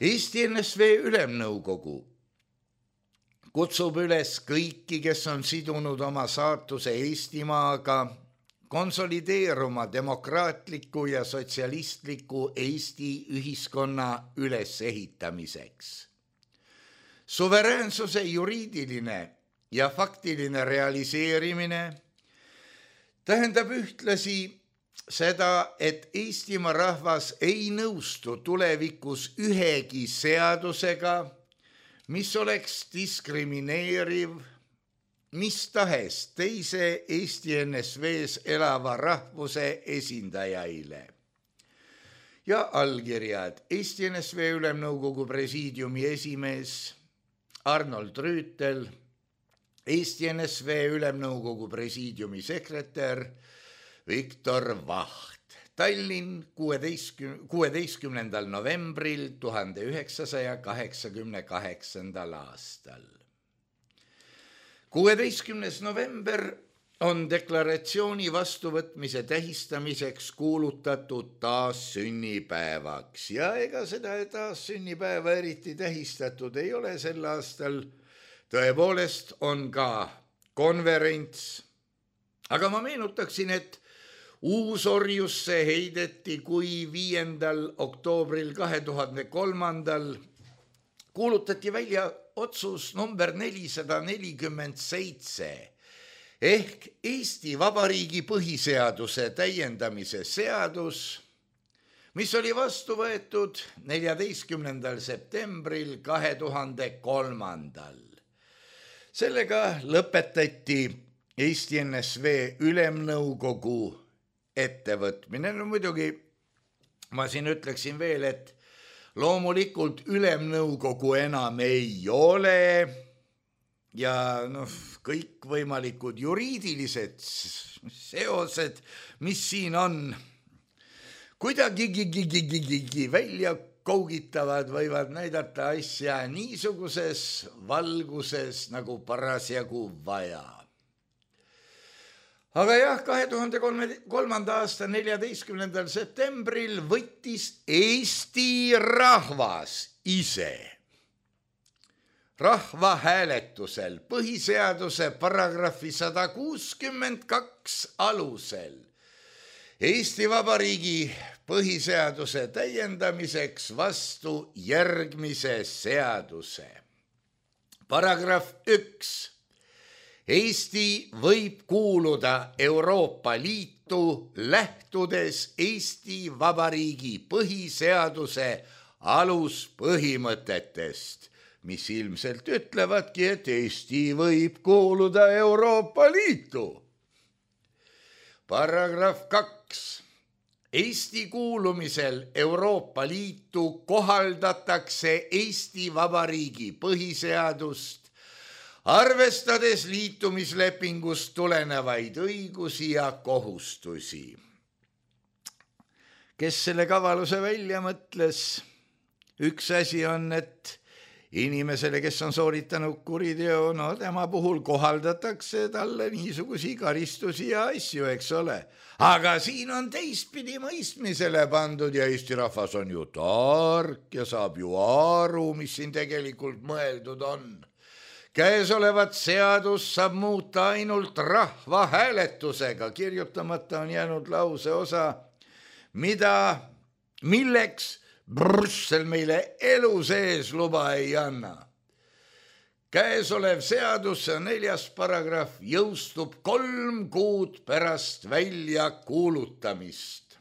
Eesti NSV Ülemnõukogu kutsub üles kõiki, kes on sidunud oma saatuse Eestimaaga, konsolideeruma demokraatliku ja sotsialistliku Eesti ühiskonna ülesehitamiseks. Suveräänsuse juriidiline ja faktiline realiseerimine tähendab ühtlasi seda, et Eestimaa rahvas ei nõustu tulevikus ühegi seadusega, mis oleks diskrimineeriv mis tahes teise Eesti NSV-s elava rahvuse esindajaile. Ja allkirjad Eesti NSV Ülemnõukogu presiidiumi esimees Arnold Rüütel, Eesti NSV Ülemnõukogu presiidiumi sekretär Viktor Vaht. Tallinn 16. novembril 1988. aastal. 16. november on deklaratsiooni vastuvõtmise tähistamiseks kuulutatud taassünnipäevaks ja ega seda taassünnipäeva eriti tähistatud ei ole sel aastal. Tõepoolest on ka konverents, aga ma meenutaksin, et uusorjusse heideti, kui 5. oktoobril 2003. kuulutati välja otsus number 447 ehk Eesti Vabariigi põhiseaduse täiendamise seadus, mis oli vastu võetud 14. septembril 2003. Sellega lõpetati Eesti NSV Ülemnõukogu ettevõtmine. No muidugi ma siin ütleksin veel, et loomulikult Ülemnõukogu enam ei ole ja kõikvõimalikud juriidilised seosed, mis siin on, kuidagi välja kougitavad, võivad näidata asja niisuguses valguses nagu parasjagu vaja. Aga jah, 2003. aasta 14. septembril võttis Eesti rahvas ise rahvahääletusel põhiseaduse paragrahvi 162 alusel Eesti Vabariigi põhiseaduse täiendamiseks vastu järgmise seaduse. Paragrahv 1. Eesti võib kuuluda Euroopa Liitu lähtudes Eesti Vabariigi põhiseaduse aluspõhimõtetest, mis ilmselt ütlevadki, et Eesti võib kuuluda Euroopa Liitu. Paragrahv 2. Eesti kuulumisel Euroopa Liitu kohaldatakse Eesti Vabariigi põhiseadust, arvestades liitumislepingust tulenevaid õigusi ja kohustusi. Kes selle kavaluse välja mõtles? Üks asi on, et inimesele, kes on sooritanud kuriteo, tema puhul kohaldatakse talle niisugusi karistusi ja asju, eks ole. Aga siin on teistpidi mõistmisele pandud ja Eesti rahvas on ju tark ja saab ju aru, mis siin tegelikult mõeldud on. Käesolevat seadus saab muuta ainult rahvahääletusega, kirjutamata on jäänud lause osa, milleks Brüssel meile elu sees luba ei anna. Käesolev seadus, 4. paragrahv, jõustub 3 kuud pärast välja kuulutamist.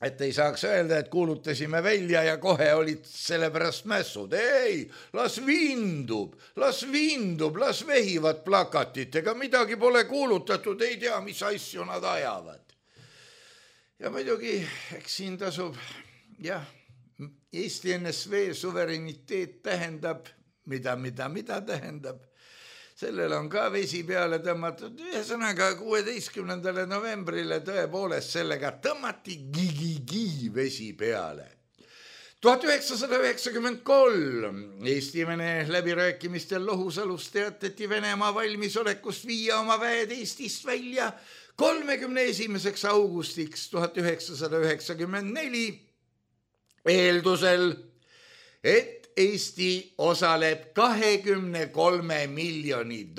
Et ei saaks öelda, et kuulutasime välja ja kohe olid selle pärast mässud. Ei, las vindub, las vehivad plakatitega, midagi pole kuulutatud, ei tea, mis asju nad ajavad. Ja muidugi, eks siin tasub, Eesti NSV suvereniteet tähendab, mida tähendab. Sellel on ka vesi peale tõmmatud, ühesõnaga 16. novembrile tõepoolest sellega tõmmati gigi vesi peale. 1993 Eesti-Vene läbirääkimistel Lohusalus teatati Venemaa valmisolekust viia oma väed Eestist välja 31. augustiks 1994 eeldusel, et Eesti osaleb $23 miljoni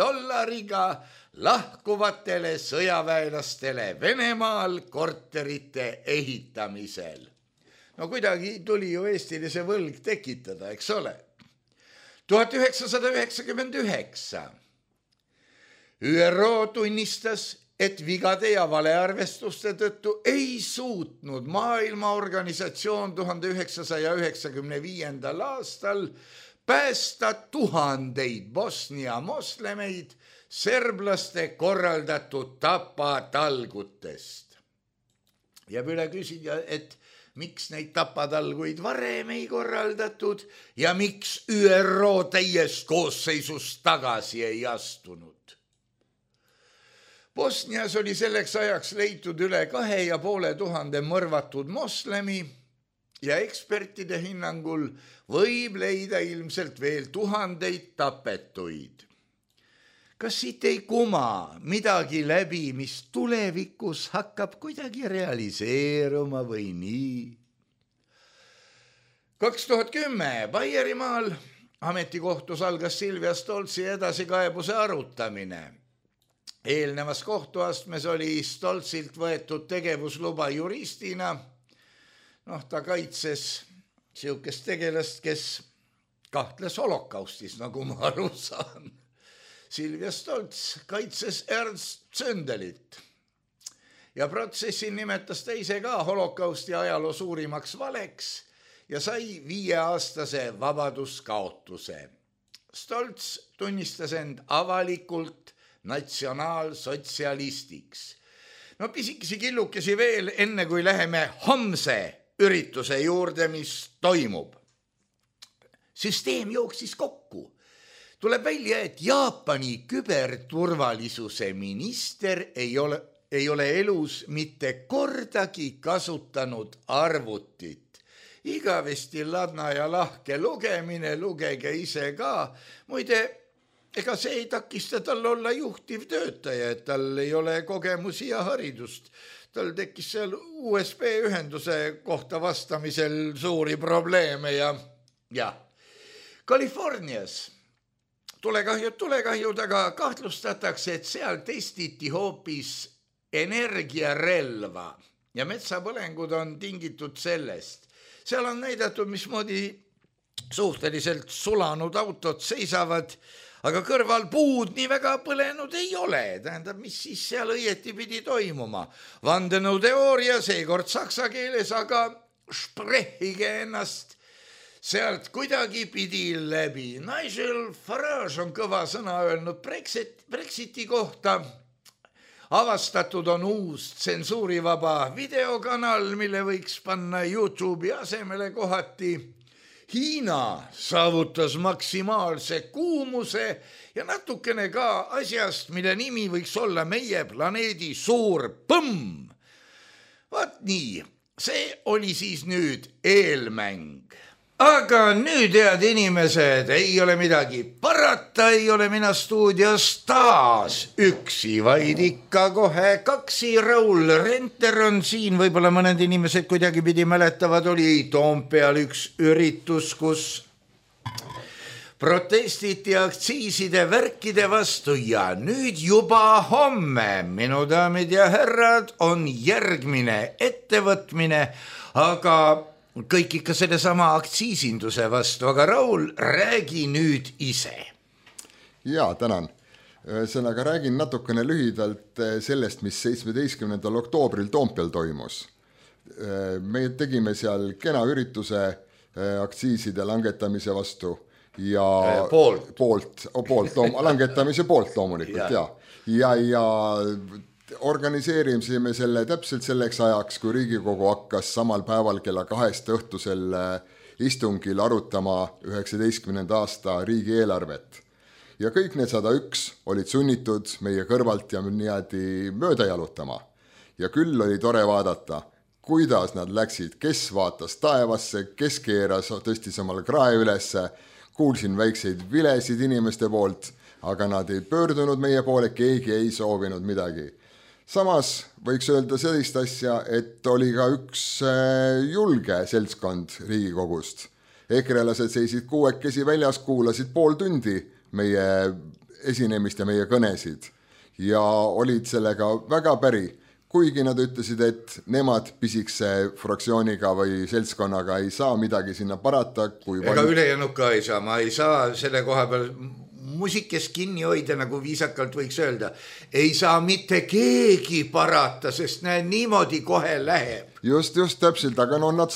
lahkuvatele sõjaväelastele Venemaal korterite ehitamisel. No kuidagi tuli ju Eestile see võlg tekitada, eks ole. 1999 ÜRO tunnistas, et vigade ja valearvestuste tõttu ei suutnud Maailmaorganisatsioon 1995. aastal päästa tuhandeid Bosnia moslemeid serblaste korraldatud tapatalgutest. Jääb üle küsida, et miks neid tapatalguid varem ei korraldatud ja miks ÜRO täies koosseisus tagasi ei astunud. Bosnias oli selleks ajaks leitud üle 2500 mõrvatud moslemi ja ekspertide hinnangul võib leida ilmselt veel tuhandeid tapetuid. Kas siit ei kuma midagi läbi, mis tulevikus hakkab kuidagi realiseeruma või nii? 2010 Baierimaal ametikohtus algas Silvia Stoltsi edasikaebuse arutamine. Eelnevas kohtuastmes oli Stoltsilt võetud tegevusluba juristina. Ta kaitses siukest tegelast, kes kahtles holokaustis, nagu ma aru saan. Silvia Stolts kaitses Ernst Zündelit ja protsessil nimetas ta ise ka holokausti ajaloo suurimaks valeks ja sai 5-aastase vabaduskaotuse. Stolts tunnistas end avalikult natsionaalsotsialistiks. Pisikesi killukesi veel enne, kui läheme homse ürituse juurde, mis toimub. Süsteem jooksis kokku. Tuleb välja, et Jaapani küberturvalisuse minister ei ole elus mitte kordagi kasutanud arvutit. Igavesti ladna ja lahke lugemine, lugege ise ka. Muide, ega see ei takista tal olla juhtiv töötaja, et tal ei ole kogemusi ja haridust. Tal tekkis seal USB-ühenduse kohta vastamisel suuri probleeme ja Californias tulekahjud, aga kahtlustatakse, et seal testiti hoopis energiarelva ja metsapõlengud on tingitud sellest. Seal on näidatud, mismoodi suhteliselt sulanud autod seisavad, aga kõrval puud nii väga põlenud ei ole. Tähendab, mis siis seal õieti pidi toimuma? Vandenõuteooria, seekord saksa keeles, aga sprehige ennast sealt kuidagi pidi läbi. Nigel Farage on kõva sõna öelnud Brexiti kohta. Avastatud on uus tsensuurivaba videokanal, mille võiks panna YouTube'i asemele kohati. Hiina saavutas maksimaalse kuumuse ja natukene ka asjast, mille nimi võiks olla meie planeedi suur põmm. Vaat nii, see oli siis nüüd eelmäng. Aga nüüd, head inimesed, ei ole midagi parata, ei ole mina stuudios taas üksi, vaid ikka kohe kaksi. Raul Renter on siin, võib-olla mõned inimesed kuidagi pidi mäletavad, oli Toompeal üks üritus, kus protestiti aktsiiside värkide vastu ja nüüd juba homme, minu daamid ja härrad, on järgmine ettevõtmine, aga kõik ikka selle sama aktsiisinduse vastu, aga Raul, räägi nüüd ise. Jaa, tänan. Ühesõnaga räägin natukene lühidalt sellest, mis 17. oktoobril Toompeal toimus. Me tegime seal kena ürituse aktsiiside langetamise vastu ja langetamise poolt loomulikult, ja organiseerisime selle täpselt selleks ajaks, kui Riigikogu hakkas samal päeval kella 2 õhtusel istungil arutama 19. aasta riigieelarvet. Ja kõik need 101 olid sunnitud meie kõrvalt ja niimoodi mööda jalutama. Ja küll oli tore vaadata, kuidas nad läksid, kes vaatas taevasse, kes keeras, tõstis omal krae ülesse, kuulsin väikseid vilesid inimeste poolt, aga nad ei pöördunud meie poole, keegi ei soovinud midagi. Samas võiks öelda sellist asja, et oli ka üks julge seltskond Riigikogust, ekrelased seisid kuuekesi väljas, kuulasid pool tundi meie esinemist ja meie kõnesid ja olid sellega väga päri. Kuigi nad ütlesid, et nemad pisikse fraktsiooniga või seltskonnaga ei saa midagi sinna parata. Ega ülejäänud ka ei saa, ma ei saa selle koha peal musikest kinni hoida, nagu viisakalt võiks öelda. Ei saa mitte keegi parata, sest niimoodi kohe läheb. Just täpselt, aga nad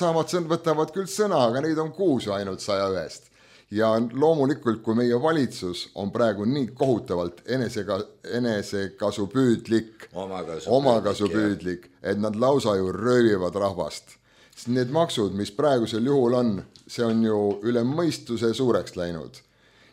võtavad küll sõna, aga neid on 6 ainult 101. Ja loomulikult, kui meie valitsus on praegu nii kohutavalt enesekasupüüdlik, omakasupüüdlik, et nad lausa ju röövivad rahvast. Need maksud, mis praegusel juhul on, see on ju üle mõistuse suureks läinud.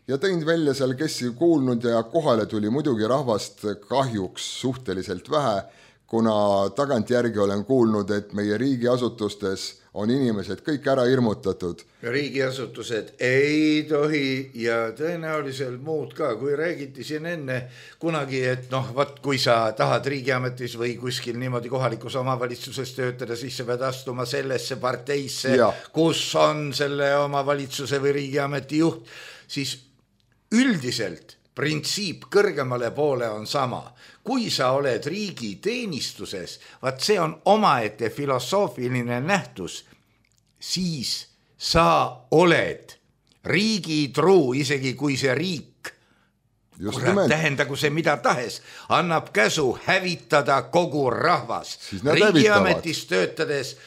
Ja tõin välja seal, kes ei kuulnud ja kohale tuli muidugi rahvast kahjuks suhteliselt vähe, kuna tagantjärgi olen kuulnud, et meie riigiasutustes on inimesed kõik ära hirmutatud. Riigiasutused ei tohi ja tõenäoliselt muud ka, kui räägiti siin enne kunagi, et kui sa tahad riigiametis või kuskil niimoodi kohalikus omavalitsuses töötada, siis sa pead astuma sellesse parteisse, kus on selle omavalitsuse või riigiameti juht, siis üldiselt printsiip kõrgemale poole on sama. Kui sa oled riigi teenistuses, vaat see on omaette filosoofiline nähtus, siis sa oled riigi truu, isegi kui see riik, tähendagu see mida tahes, annab käsu hävitada kogu rahvas. Riigiametis töötades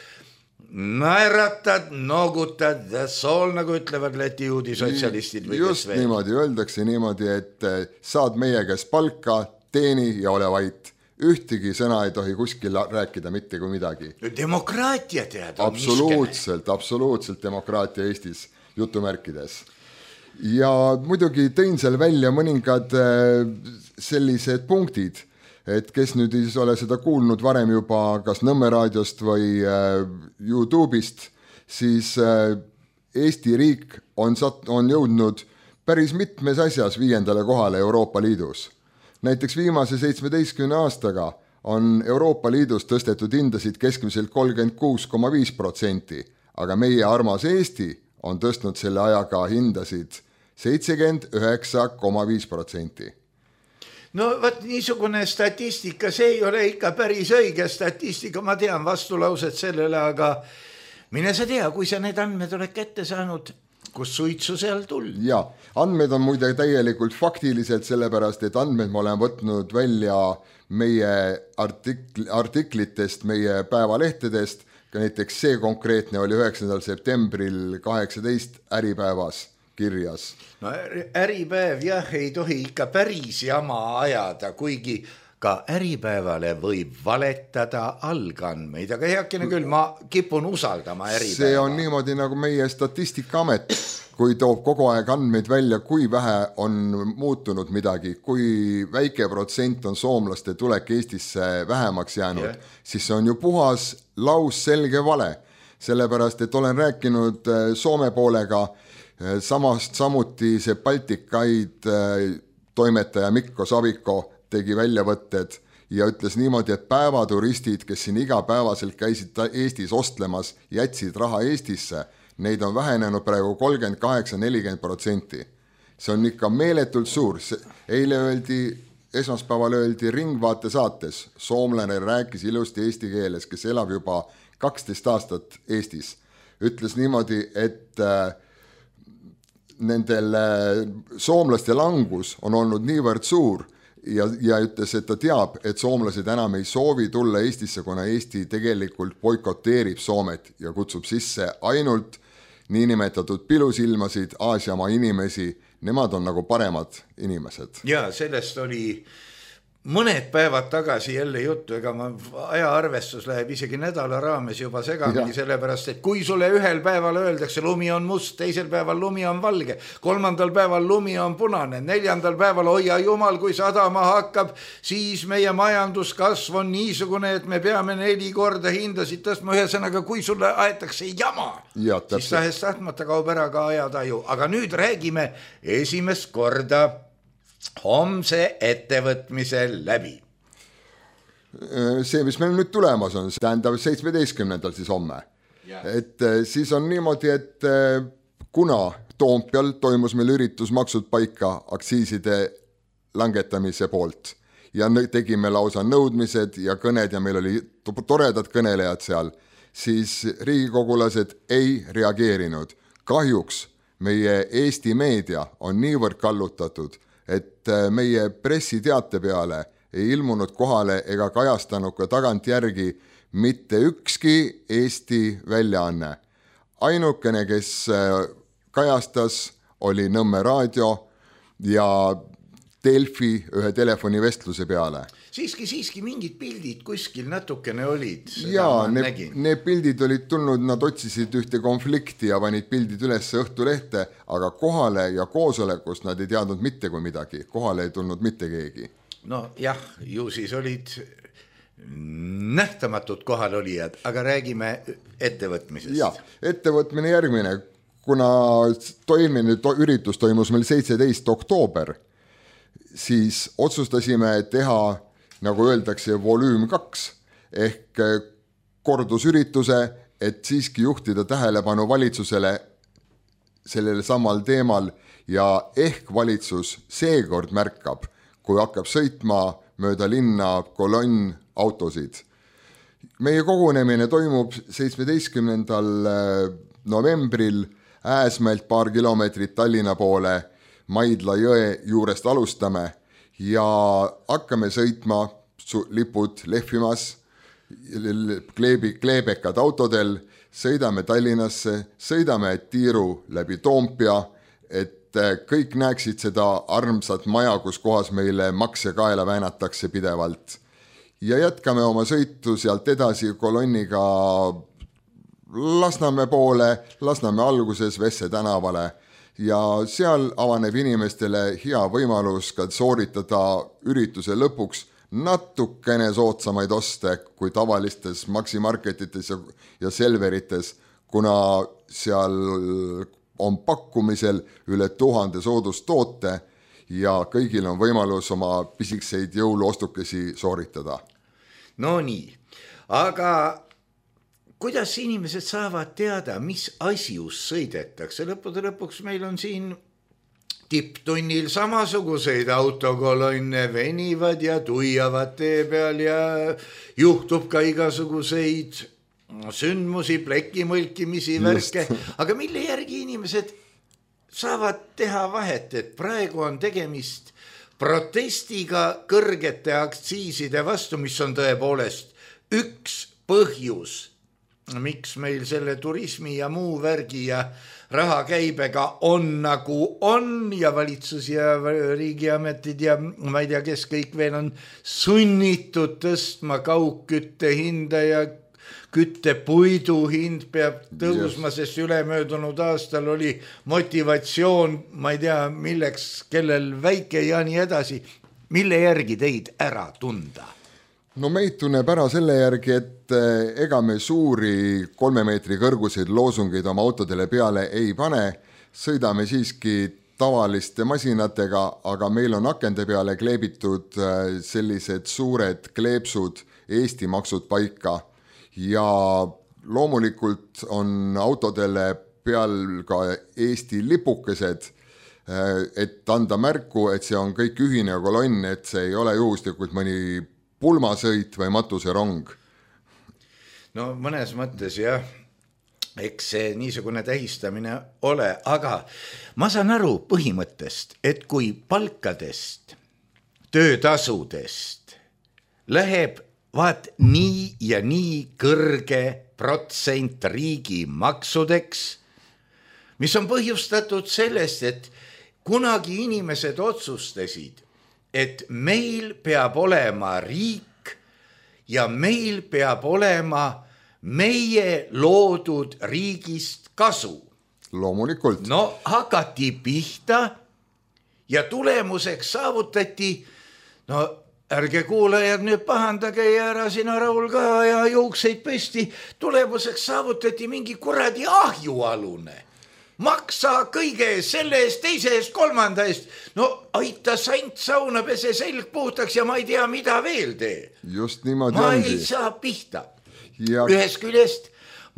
naeratad, noogutad, sool, nagu ütlevad Läti juudi sotsialistid. Just niimoodi, öeldakse niimoodi, et saad meie käest palka, teeni ja ole vait. Ühtegi sõna ei tohi kuskil rääkida mitte kui midagi. Demokraatia tead. Absoluutselt demokraatia Eestis, jutumärkides. Ja muidugi tõin seal välja mõningad sellised punktid, et kes nüüd ei ole seda kuulnud varem juba kas Nõmme raadiost või YouTube'ist, siis Eesti riik on jõudnud päris mitmes asjas 5. kohale Euroopa Liidus. Näiteks viimase 17 aastaga on Euroopa Liidus tõstetud hindasid keskmiselt 36,5%, aga meie armas Eesti on tõstnud selle ajaga hindasid 79,5%. No võt niisugune statistika, see ei ole ikka päris õige statistika, ma tean vastulauset sellele, aga mine sa tea, kui sa need andmed oled kätte saanud, kus suitsu seal tuld. Ja, andmed on muide täielikult faktiliselt, sellepärast, et andmed ma olen võtnud välja meie artiklitest, meie päevalehtedest, ka näiteks see konkreetne oli 9. septembril 18 Äripäevas kirjas. No Äripäev jah, ei tohi ikka päris jama ajada, kuigi ka Äripäevale võib valetada algandmeid, aga heakene küll, ma kipun usaldama Äripäeva. See on niimoodi nagu meie Statistikaamet, kui toob kogu aeg andmeid välja, kui vähe on muutunud midagi, kui väike protsent on soomlaste tulek Eestisse vähemaks jäänud, siis see on ju puhas lausselge vale. Sellepärast, et olen rääkinud Soome poolega, samuti see Baltikaid toimetaja Mikko Saviko tegi väljavõtted ja ütles niimoodi, et päevaturistid, kes siin igapäevaselt käisid Eestis ostlemas, jätsid raha Eestisse, neid on vähenenud praegu 38-40%. See on ikka meeletult suur. Esmaspäeval öeldi Ringvaate saates, soomlane rääkis ilusti eesti keeles, kes elab juba 12 aastat Eestis. Ütles niimoodi, et nendel soomlaste langus on olnud niivõrd suur, ja ütles, et ta teab, et soomlased enam ei soovi tulla Eestisse, kuna Eesti tegelikult boikoteerib Soomet ja kutsub sisse ainult niinimetatud pilusilmasid, Aasiamaa inimesi, nemad on nagu paremad inimesed. Ja sellest oli mõned päevad tagasi jälle juttu, ega ajaarvestus läheb isegi nädala raames juba segamini, sellepärast, et kui sulle ühel päeval öeldakse, lumi on must, teisel päeval lumi on valge, 3. päeval lumi on punane, 4. päeval hoia jumal, kui sadama hakkab, siis meie majanduskasv on niisugune, et me peame 4 korda hindasid tõstma, ühesõnaga, kui sulle aetakse jama, siis tahes tahtmata kaob ära ka ajataju. Aga nüüd räägime esimest korda homse ettevõtmise läbi. See, mis meil nüüd tulemas on, tähendab 17. siis homme. Et siis on niimoodi, et kuna Toompeal toimus meil üritus Maksud paika aktsiiside langetamise poolt ja tegime lausa nõudmised ja kõned ja meil oli toredad kõnelejad seal, siis riigikogulased ei reageerinud. Kahjuks meie Eesti meedia on niivõrd kallutatud, et meie pressiteate peale ei ilmunud kohale ega kajastanud ka tagantjärgi mitte ükski Eesti väljaanne. Ainukene, kes kajastas, oli Nõmme raadio ja Delfi ühe telefonivestluse peale. Siiski mingid pildid kuskil natukene olid. Jaa, need pildid olid tulnud, nad otsisid ühte konflikti ja panid pildid üles Õhtulehte, aga kohale ja koosolekust nad ei teadnud mitte kui midagi. Kohale ei tulnud mitte keegi. No jah, ju siis olid nähtamatud kohalolijad, aga räägime ettevõtmisest. Jah, ettevõtmine järgmine. Kuna üritus toimus meil 17. oktoober, siis otsustasime teha, nagu öeldakse, volüüm 2 ehk kordusürituse, et siiski juhtida tähelepanu valitsusele sellele samal teemal ja ehk valitsus seekord märkab, kui hakkab sõitma mööda linna kolonn autosid. Meie kogunemine toimub 17. novembril Ääsmäelt paar kilomeetrit Tallinna poole Maidla jõe juurest alustame ja hakkame sõitma lipud lehvimas, kleebekad autodel, sõidame Tallinnasse, sõidame tiiru läbi Toompea, et kõik näeksid seda armsat maja, kus kohas meile makse kaela väänatakse pidevalt. Ja jätkame oma sõitu sealt edasi kolonniga Lasnamäe poole, Lasnamäe alguses Vesse tänavale ja seal avaneb inimestele hea võimalus ka sooritada ürituse lõpuks natukene soodsamaid oste kui tavalistes maksimarketites ja Selverites, kuna seal on pakkumisel üle 1000 soodustoote ja kõigil on võimalus oma pisikseid jõuluostukesi sooritada. No nii, aga kuidas inimesed saavad teada, mis asjus sõidetakse? Lõppude lõpuks meil on siin tipptunnil samasuguseid autokolonne, venivad ja tuiavad tee peal ja juhtub ka igasuguseid sündmusi, plekimõlkimisi, värke. Aga mille järgi inimesed saavad teha vahet, et praegu on tegemist protestiga kõrgete aktsiiside vastu, mis on tõepoolest üks põhjus, miks meil selle turismi ja muu värgi ja rahakäibega on nagu on ja valitsus ja riigiametid ja ma ei tea, kes kõik veel on sunnitud tõstma kaugkütte hinda ja küttepuidu hind peab tõusma, sest ülemöödunud aastal oli motivatsioon, ma ei tea, milleks, kellel väike ja nii edasi. Mille järgi teid ära tunda? No meid tunneb ära selle järgi, et ega me suuri 3 meetri kõrguseid loosungeid oma autodele peale ei pane, sõidame siiski tavaliste masinatega, aga meil on akende peale kleebitud sellised suured kleepsud Eesti maksud paika ja loomulikult on autodele peal ka Eesti lipukesed, et anda märku, et see on kõik ühine kolonn, et see ei ole juhuslikult mõni pulmasõit või matuserong. No mõnes mõttes jah, eks see niisugune tähistamine ole, aga ma saan aru põhimõttest, et kui palkadest, töötasudest läheb vaat nii ja nii kõrge protsent riigi maksudeks, mis on põhjustatud sellest, et kunagi inimesed otsustasid, et meil peab olema riik ja meil peab olema meie loodud riigist kasu. Loomulikult. No hakati pihta ja tulemuseks saavutati, no ärge kuulajad nüüd pahandage ja ära sina Raul ka ja juukseid püsti, tulemuseks saavutati mingi kuradi ahjualune. Maksa kõige selle eest, teise eest, kolmanda eest. No aita sant sauna, pese selg puhtaks ja ma ei tea, mida veel tee. Just niimoodi ma ongi. ei saa pihta. Ja... Ühest küljest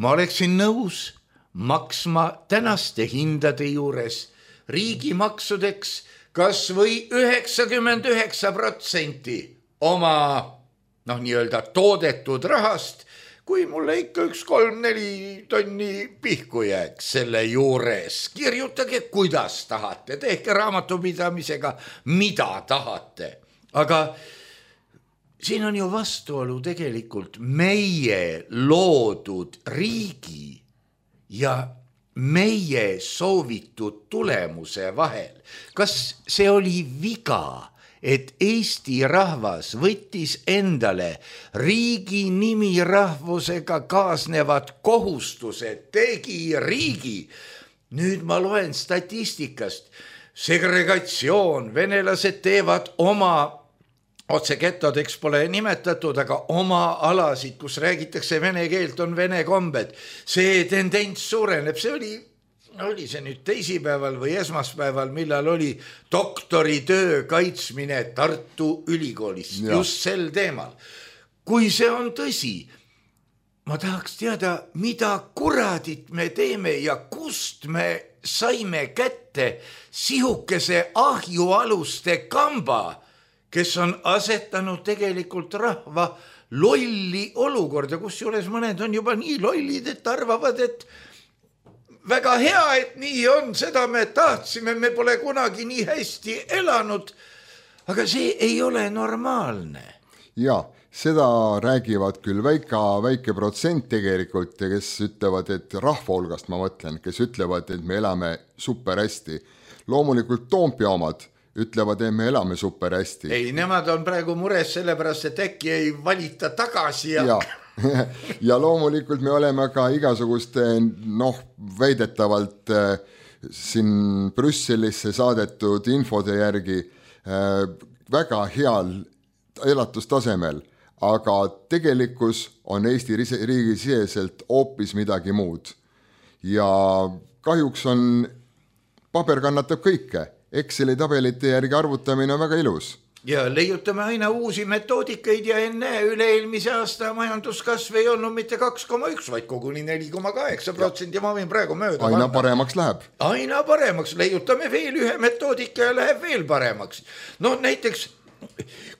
ma oleksin nõus maksma tänaste hindade juures riigimaksudeks kas või 99% oma nii-öelda toodetud rahast, kui mulle ikka 1-3-4 tonni pihku jääks selle juures. Kirjutage, kuidas tahate, tehke raamatupidamisega, mida tahate. Aga siin on ju vastuolu tegelikult meie loodud riigi ja meie soovitud tulemuse vahel. Kas see oli viga, et Eesti rahvas võttis endale riigi nimi rahvusega kaasnevad kohustused, tegi riigi? Nüüd ma loen statistikast. Segregatsioon, venelased teevad oma otse getodeks pole nimetatud, aga oma alasid, kus räägitakse vene keelt, on vene kombed. See tendents suureneb, see oli see nüüd teisipäeval või esmaspäeval, millal oli doktoritöö kaitsmine Tartu Ülikoolis just sel teemal. Kui see on tõsi, ma tahaks teada, mida kuradit me teeme ja kust me saime kätte sihukese ahjualuste kamba, kes on asetanud tegelikult rahva lolli olukorda, kus juures mõned on juba nii lollid, et arvavad, et väga hea, et nii on, seda me tahtsime, me pole kunagi nii hästi elanud, aga see ei ole normaalne. Ja, seda räägivad küll väike protsent tegelikult, kes ütlevad, et rahva hulgast ma mõtlen, kes ütlevad, et me elame super hästi. Loomulikult Toompea omad ütlevad, et me elame super hästi. Ei, nemad on praegu mures sellepärast, et äkki ei valita tagasi. Ja loomulikult me oleme ka igasuguste, väidetavalt siin Brüsselisse saadetud infode järgi väga heal elatustasemel, aga tegelikkus on Eesti riigi siseselt hoopis midagi muud. Ja kahjuks on, paber kannatab kõike. Exceli tabelite järgi arvutamine on väga ilus. Ja leiutame aina uusi metoodikaid ja enne üle-eelmise aasta majanduskasv ei olnud mitte 2,1, vaid koguni 4,8% ja ma võin praegu mööda. Aina paremaks läheb. Aina paremaks, leiutame veel ühe metoodika ja läheb veel paremaks. Näiteks,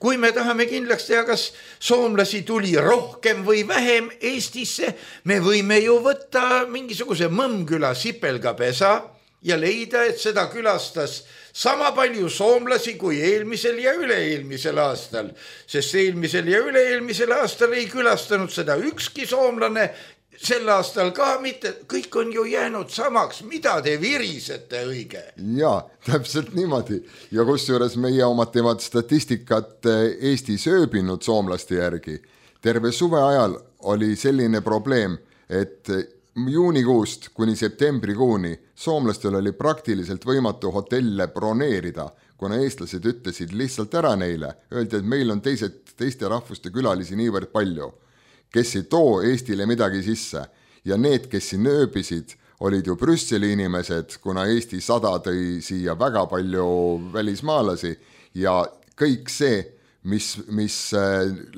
kui me tahame kindlaks teha, kas soomlasi tuli rohkem või vähem Eestisse, me võime ju võtta mingisuguse Mõmmküla Sipelgapesa ja leida, et seda külastas sama palju soomlasi kui eelmisel ja üle-eelmisel aastal, sest eelmisel ja üle-eelmisel aastal ei külastanud seda ükski soomlane, sel aastal ka mitte, kõik on ju jäänud samaks, mida te virisete õige? Ja, täpselt niimoodi. Ja kusjuures meie omad teevad statistikat Eesti sööbinud soomlaste järgi. Terve suve ajal oli selline probleem, et juunikuust kuni septembrikuuni soomlastel oli praktiliselt võimatu hotelle broneerida, kuna eestlased ütlesid lihtsalt ära neile. Öeldi, et meil on teiste rahvuste külalisi niivõrd palju, kes ei too Eestile midagi sisse. Ja need, kes siin ööbisid, olid ju Brüsseli inimesed, kuna Eesti 100 tõi siia väga palju välismaalasi ja kõik see, mis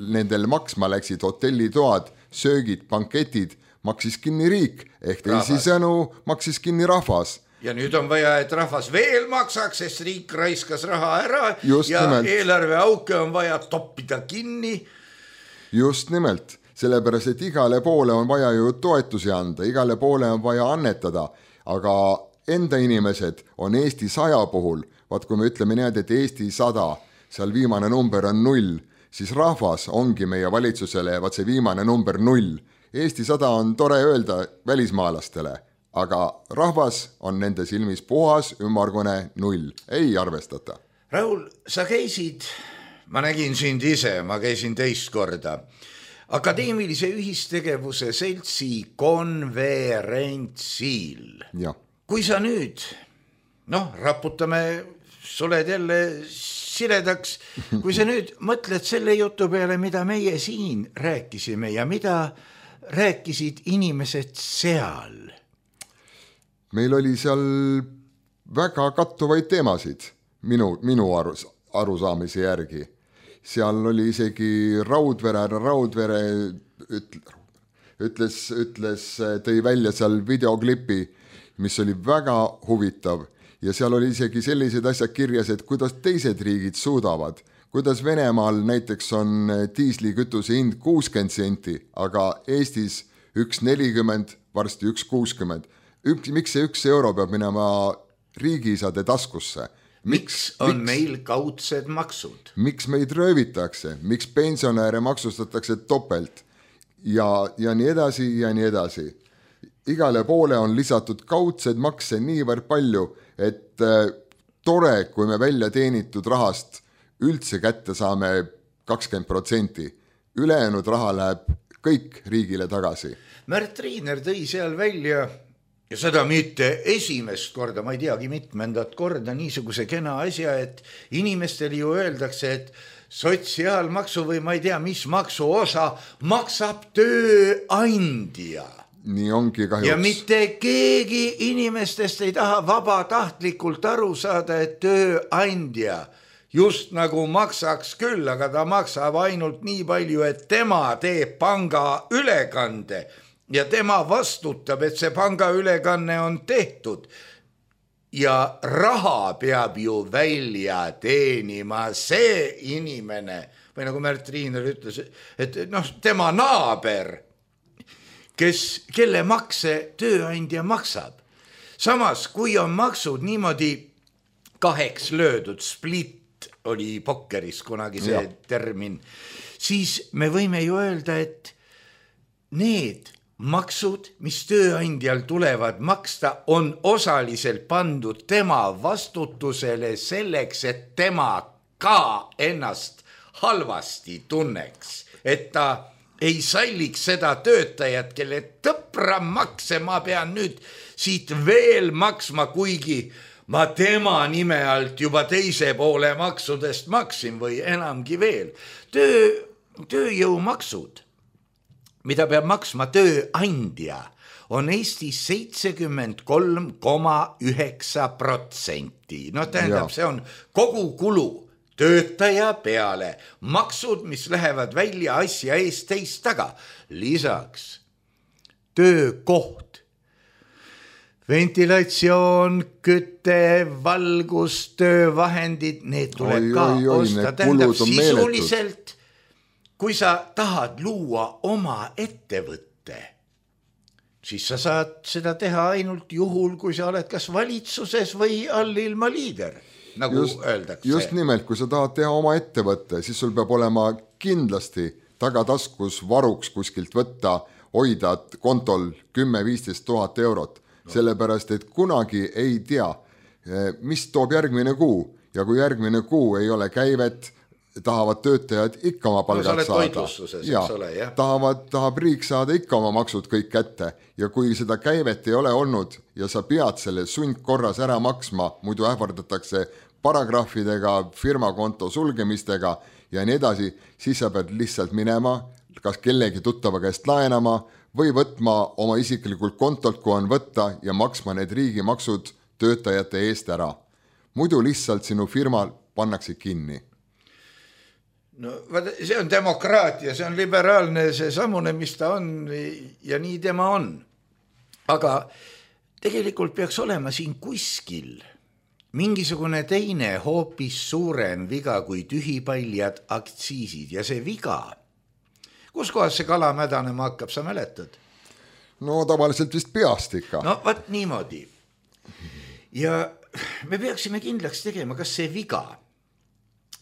nendel maksma läksid, hotellitoad, söögid, banketid, maksis kinni riik, ehk teisisõnu maksis kinni rahvas. Ja nüüd on vaja, et rahvas veel maksaks, sest riik raiskas raha ära. Just ja nimelt. Eelarveauke on vaja toppida kinni. Just nimelt, sellepärast, et igale poole on vaja ju toetusi anda, igale poole on vaja annetada, aga enda inimesed on Eesti 100 puhul, vaat kui me ütleme nii, et Eesti 100, seal viimane number on 0, siis rahvas ongi meie valitsusele, vaat see viimane number 0. Eesti 100 on tore öelda välismaalastele, aga rahvas on nende silmis puhas, ümmargune 0. Ei arvestata. Raul, sa käisid, ma nägin sind ise, ma käisin teist korda, Akadeemilise ühistegevuse seltsi konverentsil. Ja. Kui sa nüüd, raputame suled jälle siledaks, kui sa nüüd mõtled selle jutu peale, mida meie siin rääkisime ja mida rääkisid inimesed seal? Meil oli seal väga kattuvaid teemasid minu arusaamise järgi. Seal oli isegi Raudvere tõi välja seal videoklipi, mis oli väga huvitav ja seal oli isegi sellised asjad kirjas, et kuidas teised riigid suudavad, kuidas Venemaal näiteks on diislikütuse hind 60 senti, aga Eestis 1,40, varsti 1,60. Miks see 1 euro peab minema riigiisade taskusse? Miks on meil kaudsed maksud? Miks meid röövitakse? Miks pensionäre maksustatakse topelt? Ja nii edasi ja nii edasi. Igale poole on lisatud kaudsed makse niivõrd palju, et tore, kui me välja teenitud rahast üldse kätte saame 20%. Ülejäänud raha läheb kõik riigile tagasi. Märt Riiner tõi seal välja ja seda mitte esimest korda, ma ei teagi mitmendat korda niisuguse kena asja, et inimestele ju öeldakse, et sotsiaalmaksu või ma ei tea, mis maksu osa maksab tööandja. Nii ongi kahjuks. Ja mitte keegi inimestest ei taha vabatahtlikult aru saada, et tööandja just nagu maksaks küll, aga ta maksab ainult nii palju, et tema teeb panga ülekande ja tema vastutab, et see panga ülekanne on tehtud. Ja raha peab ju välja teenima see inimene, või nagu Märt Riiner ütles, et tema naaber, kelle makse tööandja maksab. Samas, kui on maksud niimoodi 2 löödud, split oli pokkeris kunagi see termin, siis me võime ju öelda, et need maksud, mis tööandjal tulevad maksta, on osaliselt pandud tema vastutusele selleks, et tema ka ennast halvasti tunneks, et ta ei salliks seda töötajat, kelle tõpra makse ma pean nüüd siit veel maksma, kuigi ma tema nime alt juba teise poole maksudest maksin või enamgi veel. Tööjõumaksud, mida peab maksma tööandja, on Eestis 73,9%. Tähendab, see on kogu kulu töötaja peale. Maksud, mis lähevad välja asja eest teist taga. Lisaks töökoht, ventilatsioon, küte, valgus, töövahendid, need tuleb ka osta. Tähendab, sisuliselt kui sa tahad luua oma ettevõtte, siis sa saad seda teha ainult juhul, kui sa oled kas valitsuses või allilma liider, nagu öeldakse. Just nimelt, kui sa tahad teha oma ettevõtte, siis sul peab olema kindlasti tagataskus varuks kuskilt võtta, hoida kontol 10-15 000 eurot, sellepärast, et kunagi ei tea, mis toob järgmine kuu ja kui järgmine kuu ei ole käivet, tahavad töötajad ikka oma palgad saada. Tahab riik saada ikka oma maksud kõik kätte ja kui seda käivet ei ole olnud ja sa pead selle sundkorras ära maksma, muidu ähvardatakse paragrahvidega, firmakonto sulgemistega ja nii edasi, siis sa pead lihtsalt minema, kas kellegi tuttava käest laenama või võtma oma isiklikult kontolt, kui on võtta ja maksma need riigimaksud töötajate eest ära. Muidu lihtsalt sinu firma pannakse kinni. No, see on demokraatia, see on liberaalne, see samune, mis ta on ja nii tema on. Aga tegelikult peaks olema siin kuskil mingisugune teine hoopis suurem viga kui tühipaljad aktsiisid ja see viga. Kus kohas see kala mädanema hakkab, sa mäletad? No tavaliselt vist peast ikka. No vaat niimoodi. Ja me peaksime kindlaks tegema, kas see viga,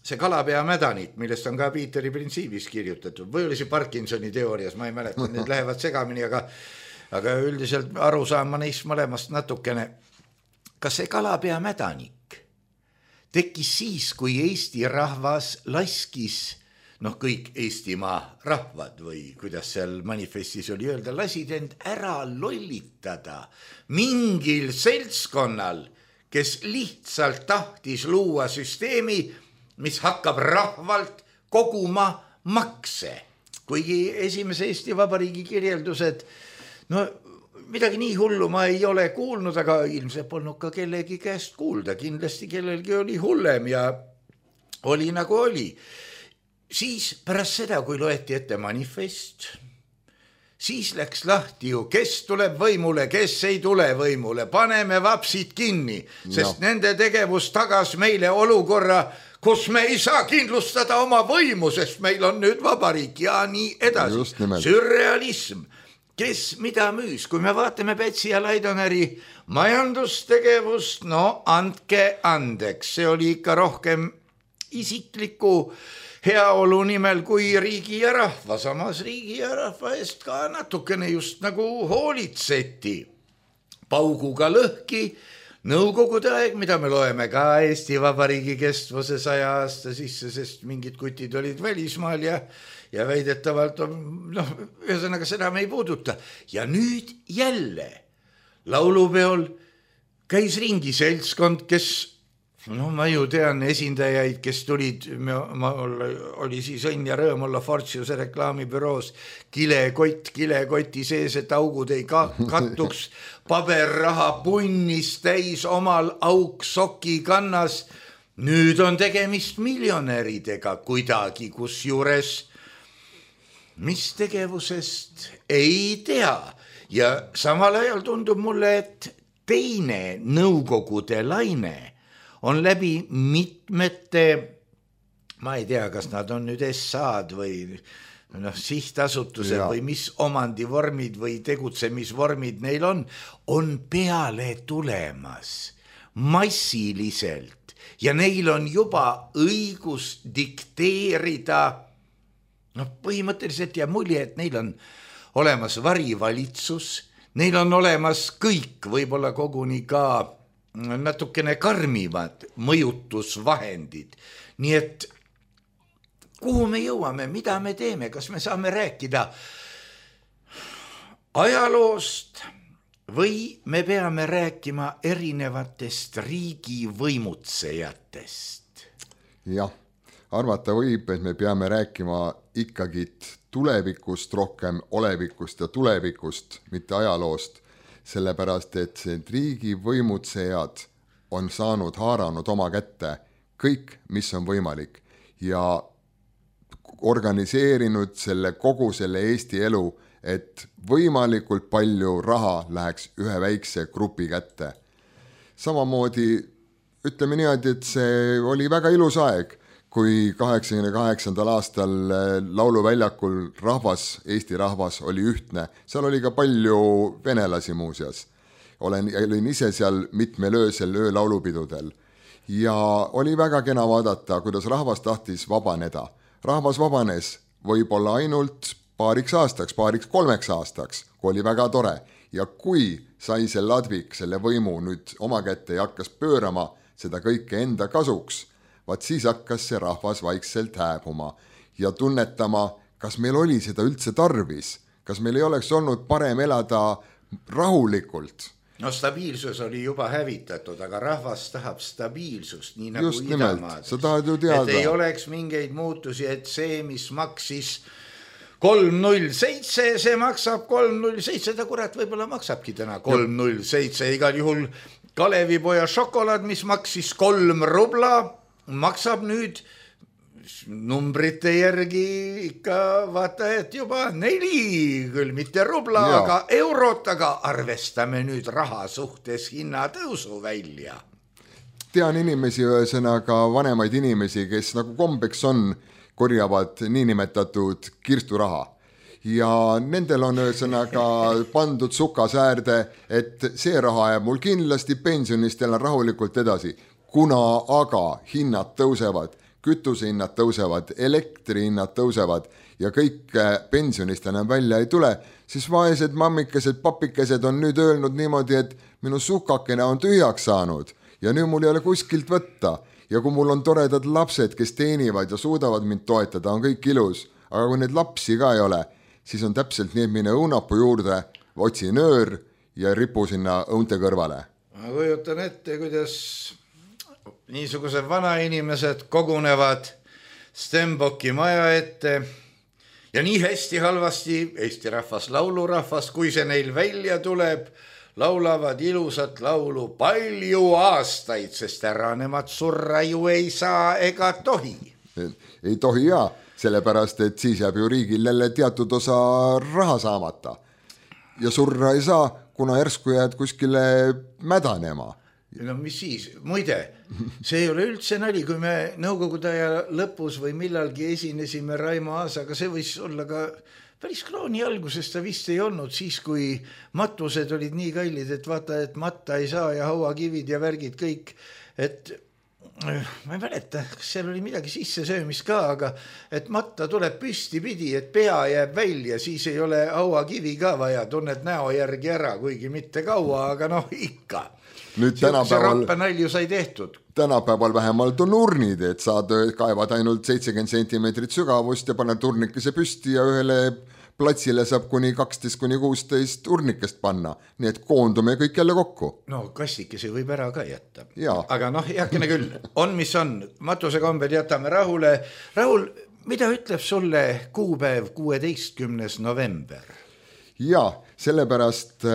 see kalapea mädanit, millest on ka Piiteri printsiibis kirjutatud, või oli see Parkinsoni teoorias, ma ei mäleta, need lähevad segamini, aga üldiselt aru saan ma neist mõlemast natukene. Kas see kalapea mädanik tekkis siis, kui Eesti rahvas laskis, kõik Eestimaa rahvad või kuidas seal manifestis oli öelda, lasid end ära lollitada mingil seltskonnal, kes lihtsalt tahtis luua süsteemi, mis hakkab rahvalt koguma makse. Kuigi esimese Eesti Vabariigi kirjeldused, midagi nii hullu ma ei ole kuulnud, aga ilmselt polnud ka kellegi käest kuulda. Kindlasti kellelgi oli hullem ja oli nagu oli. Siis pärast seda, kui loeti ette manifest, siis läks lahti ju, kes tuleb võimule, kes ei tule võimule, paneme vapsid kinni, sest nende tegevus tagas meile olukorra, kus me ei saa kindlustada oma võimu, sest meil on nüüd vabariik ja nii edasi. Sürrealism, kes mida müüs, kui me vaatame Pätsi ja Laidoneri majandustegevust, no andke andeks, see oli ikka rohkem isikliku heaolu nimel kui riigi ja rahva, samas riigi ja rahva eest ka natukene just nagu hoolitseti. Pauguga lõhki Nõukogude aeg, mida me loeme ka Eesti Vabariigi kestvuse 100 aasta sisse, sest mingid kutid olid välismaal ja väidetavalt, ühesõnaga seda me ei puuduta. Ja nüüd jälle laulupeol käis ringi seltskond, kes, ma ju tean esindajaid, kes tulid, oli siis õnn ja rõõm olla Fortiuse reklaamibüroos, kilekoti sees, et augud ei kattuks, paberraha punnis täis omal auk soki kannas. Nüüd on tegemist miljonäridega kuidagi, kus juures mis tegevusest ei tea. Ja samal ajal tundub mulle, et teine nõukogude laine on läbi mitmete, ma ei tea, kas nad on nüüd SA-d või sihtasutused või mis omandivormid või tegutsemisvormid neil on peale tulemas massiliselt ja neil on juba õigus dikteerida, põhimõtteliselt jääb mulje, et neil on olemas varivalitsus, neil on olemas kõik, võib-olla koguni ka natukene karmivad mõjutusvahendid, nii et kuhu me jõuame, mida me teeme, kas me saame rääkida ajaloost või me peame rääkima erinevatest riigivõimutsejatest? Jah, arvata võib, et me peame rääkima ikkagi tulevikust rohkem, olevikust ja tulevikust, mitte ajaloost, sellepärast et see riigivõimutsejad on haaranud oma kätte kõik, mis on võimalik ja organiseerinud kogu selle Eesti elu, et võimalikult palju raha läheks ühe väikse grupi kätte. Samamoodi ütleme niimoodi, et see oli väga ilus aeg, kui 88. aastal lauluväljakul Eesti rahvas oli ühtne. Seal oli ka palju venelasi muuseas. Olin ise seal mitmel öösel öölaulupidudel ja oli väga kena vaadata, kuidas rahvas tahtis vabaneda. Rahvas vabanes võib-olla ainult paariks 3 aastaks, kui oli väga tore. Ja kui sai see ladvik selle võimu nüüd oma kätte ja hakkas pöörama seda kõike enda kasuks, vaat siis hakkas see rahvas vaikselt hääbuma ja tunnetama, kas meil oli seda üldse tarvis, kas meil ei oleks olnud parem elada rahulikult. Stabiilsus oli juba hävitatud, aga rahvas tahab stabiilsust, nii nagu just idamaades. Et ei oleks mingeid muutusi, et see, mis maksis 307, see maksab 307, ta kurat võib-olla maksabki täna 307, igal juhul Kalevipoja šokolaad, mis maksis 3 rubla, maksab nüüd numbrite järgi ikka vaata, et juba 4, küll mitte rubla, aga eurot, aga arvestame nüüd raha suhtes hinnatõusu välja. Tean inimesi, ühesõnaga vanemaid inimesi, kes nagu kombeks on, korjavad niinimetatud kirsturaha. Ja nendel on ühesõnaga pandud sukasäärde, et see raha jääb mul kindlasti pensionist elan rahulikult edasi. Kuna aga hinnad tõusevad, kütusehinnad tõusevad, elektrihinnad tõusevad ja kõik pensionist enam välja ei tule, siis vaesed mammikesed, papikesed on nüüd öelnud niimoodi, et minu sukakene on tühjaks saanud ja nüüd mul ei ole kuskilt võtta. Ja kui mul on toredad lapsed, kes teenivad ja suudavad mind toetada, on kõik ilus, aga kui neid lapsi ka ei ole, siis on täpselt nii, et mine õunapuu juurde, otsi nöör ja ripu sinna õunte kõrvale. Ma kujutan ette, kuidas niisugused vanainimesed kogunevad Stenbocki maja ette ja nii hästi halvasti Eesti rahvas, laulurahvas, kui see neil välja tuleb, laulavad ilusat laulu palju aastaid, sest ära nemad surra ju ei saa ega tohi. Ei tohi jaa, sellepärast et siis jääb ju riigil jälle teatud osa raha saamata ja surra ei saa, kuna järsku jääd kuskile mädanema. No mis siis, muide, see ei ole üldse nali, kui me nõukogude aja lõpus või millalgi esinesime Raimo Aasaga, see võis olla ka päris krooni alguses, ta vist ei olnud siis, kui matused olid nii kallid, et vaata, et matta ei saa ja hauakivid ja värgid kõik, et ma ei mäleta, kas seal oli midagi sissesöömist ka, aga et matta tuleb püsti pidi, et pea jääb välja, siis ei ole hauakivi ka vaja, tunned näo järgi ära, kuigi mitte kaua, aga noh ikka. Nüüd see rappenalju sai tehtud. Tänapäeval vähemalt on urnid, et saad kaevad ainult 70 sentimeetrit sügavust ja paned urnikese püsti ja ühele platsile saab kuni 12-16 urnikest panna, nii et koondume kõik jälle kokku. No kastikese võib ära ka jätta, ja. Aga noh, heakene küll, on mis on, matuse kombel jätame rahule. Rahul, mida ütleb sulle kuupäev 16. november? Ja, sellepärast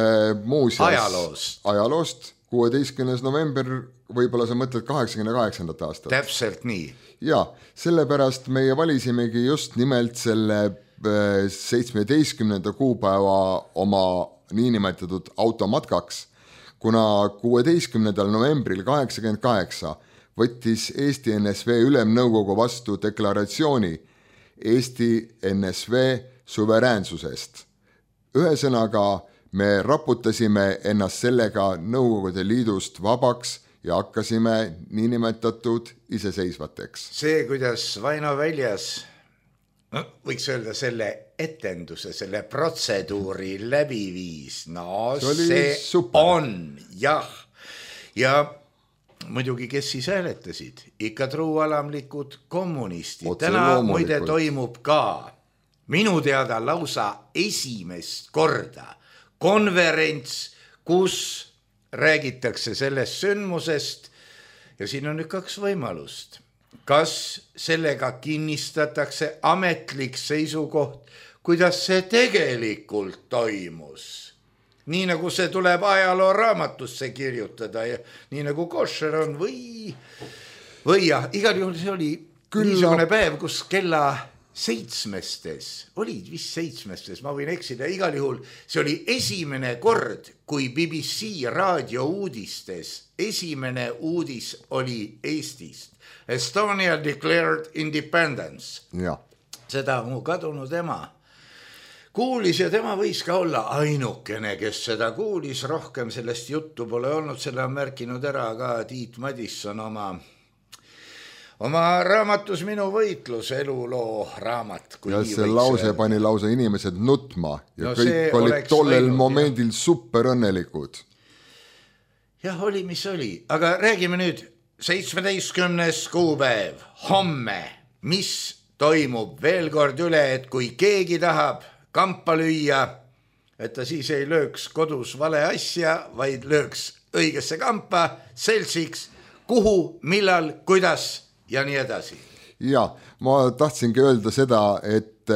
muuseas ajaloost 16. november, võib-olla sa mõtled 88. aastat. Täpselt nii. Ja, sellepärast meie valisimegi just nimelt selle 17. kuupäeva oma niinimetatud automatkaks, kuna 16. novembril 88 võttis Eesti NSV Ülemnõukogu vastu deklaratsiooni Eesti NSV suveräänsusest. Ühesõnaga, me raputasime ennast sellega Nõukogude Liidust vabaks ja hakkasime niinimetatud iseseisvateks. See, kuidas Vaino väljas, võiks öelda selle etenduse, selle protseduuri läbi viis, no see on, jah. Ja muidugi, kes siis hääletasid? Ikka truualamlikud kommunistid. Täna muide toimub ka minu teada lausa esimest korda konverents, kus räägitakse sellest sündmusest ja siin on nüüd kaks võimalust. Kas sellega kinnistatakse ametlik seisukoht, kuidas see tegelikult toimus? Nii nagu see tuleb ajaloo raamatusse kirjutada ja nii nagu košer on või jah, igal juhul see oli niisugune päev, kus kella 7, olid vist 7, ma võin eksida, igal juhul see oli esimene kord, kui BBC raadiouudistes esimene uudis oli Eestist. Estonia declared independence. Ja. Seda mu kadunud ema kuulis ja tema võis ka olla ainukene, kes seda kuulis, rohkem sellest juttu pole olnud, selle on märkinud ära ka Tiit Madisson oma raamatus Minu võitlus, eluloo raamat. Ja see lause pani lausa inimesed nutma ja kõik olid tollel momendil super õnnelikud. Jah, oli mis oli, aga räägime nüüd 17. kuupäev, homme, mis toimub veel kord üle, et kui keegi tahab kampa lüüa, et ta siis ei lööks kodus vale asja, vaid lööks õigesse kampa, seltsiks, kuhu, millal, kuidas ja nii edasi. Ja, ma tahtsingi öelda seda, et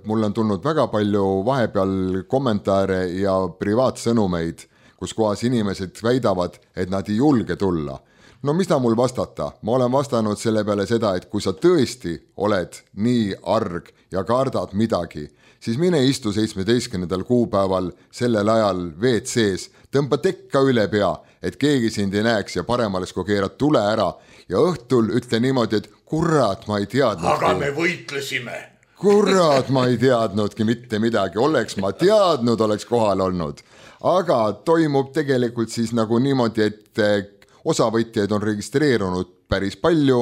mul on tulnud väga palju vahepeal kommentaare ja privaatsõnumeid, kus kohas inimesed väidavad, et nad ei julge tulla. No mis ta mul vastata? Ma olen vastanud selle peale seda, et kui sa tõesti oled nii arg ja kardad midagi, siis mine istu 17. kuupäeval sellel ajal WC-s, tõmba tekka üle pea, et keegi sind ei näeks ja parem oleks, kui keerad tule ära ja õhtul ütle niimoodi, et kurat, ma ei teadnud. Aga me võitlesime. Kurat, ma ei teadnudki mitte midagi. Oleks ma teadnud, oleks kohal olnud. Aga toimub tegelikult siis nagu niimoodi, et osavõtjaid on registreerunud päris palju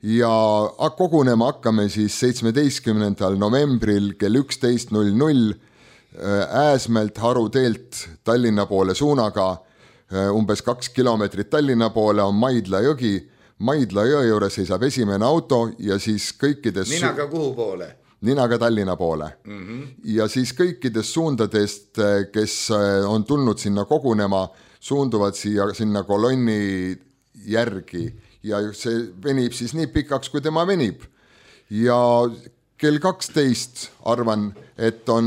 ja kogunema hakkame siis 17. novembril kell 11.00 Ääsmäelt Haruteelt Tallinna poole suunaga. Umbes 2 kilomeetrit Tallinna poole on Maidla jõgi. Maidla jõe juures seisab esimene auto ja siis kõikides... Ninaga kuhu poole? Ninaga Tallinna poole. Ja siis kõikidest suundadest, kes on tulnud sinna kogunema, suunduvad sinna kolonni järgi ja see venib siis nii pikaks, kui tema venib. Ja kell 12 arvan, et on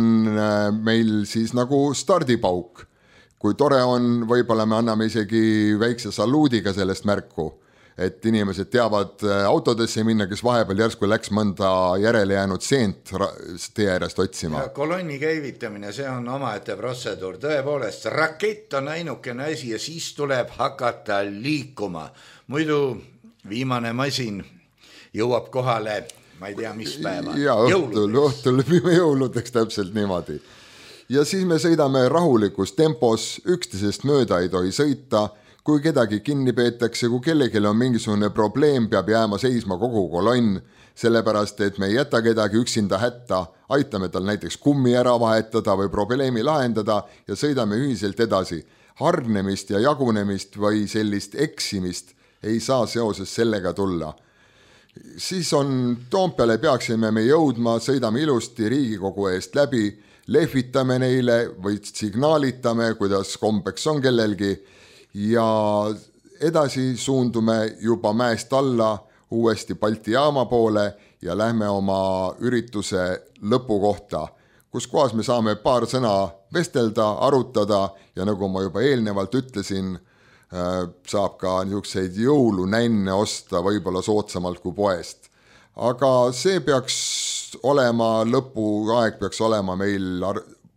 meil siis nagu stardipauk. Kui tore on, võib-olla me anname isegi väikse saluudiga sellest märku, et inimesed teavad autodesse minna, kes vahepeal järsku läks mõnda järele jäänud seent tee äärest otsima. Kolonni käivitamine, see on omaette protseduur, tõepoolest, rakett on ainukene asi ja siis tuleb hakata liikuma. Muidu viimane masin jõuab kohale, ma ei tea, mis päeva. Ja õhtul jõuludeks täpselt niimoodi. Ja siis me sõidame rahulikus tempos, üksteisest mööda ei tohi sõita, kui kedagi kinni peetakse, kui kellelgi on mingisugune probleem, peab jääma seisma kogu kolonn, sellepärast, et me ei jäta kedagi üksinda hätta, aitame tal näiteks kummi ära vahetada või probleemi lahendada ja sõidame ühiselt edasi. Hargnemist ja jagunemist või sellist eksimist ei saa seoses sellega tulla. Siis on Toompeale peaksime me jõudma, sõidame ilusti Riigikogu eest läbi, lehvitame neile või signaalitame, kuidas kombeks on kellelgi, ja edasi suundume juba mäest alla uuesti Balti jaama poole ja lähme oma ürituse lõpu kohta, kus kohas me saame paar sõna vestelda, arutada ja nagu ma juba eelnevalt ütlesin, saab ka niisuguseid jõulunänne osta võib-olla soodsamalt kui poest. Aga see peaks olema, lõpuaeg peaks olema meil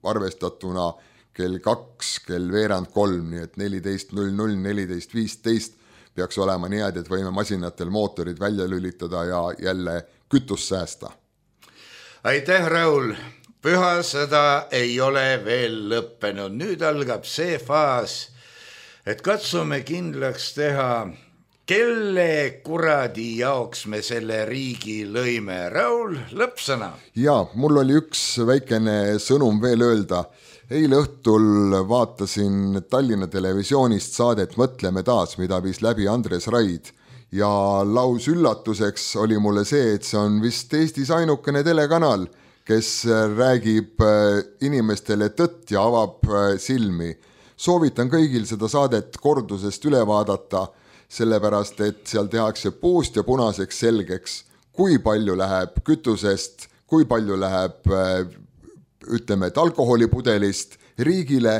arvestatuna kell 2, kell veerand 3, nii et 14.00, 14.15 peaks olema niimoodi, et võime masinatel mootorid välja lülitada ja jälle kütust säästa. Aitäh, Raul! Pühasõda ei ole veel lõppenud. Nüüd algab see faas, et katsume kindlaks teha, kelle kuradi jaoks me selle riigi lõime. Raul, lõppsõna. Ja, mul oli üks väikene sõnum veel öelda. Eile õhtul vaatasin Tallinna televisioonist saadet Mõtleme taas, mida viis läbi Andres Raid. Ja laus üllatuseks oli mulle see, et see on vist Eestis ainukene telekanal, kes räägib inimestele tõtt ja avab silmi. Soovitan kõigil seda saadet kordusest üle vaadata, sellepärast, et seal tehakse puust ja punaseks selgeks, kui palju läheb kütusest, kui palju läheb ütleme, et alkoholipudelist riigile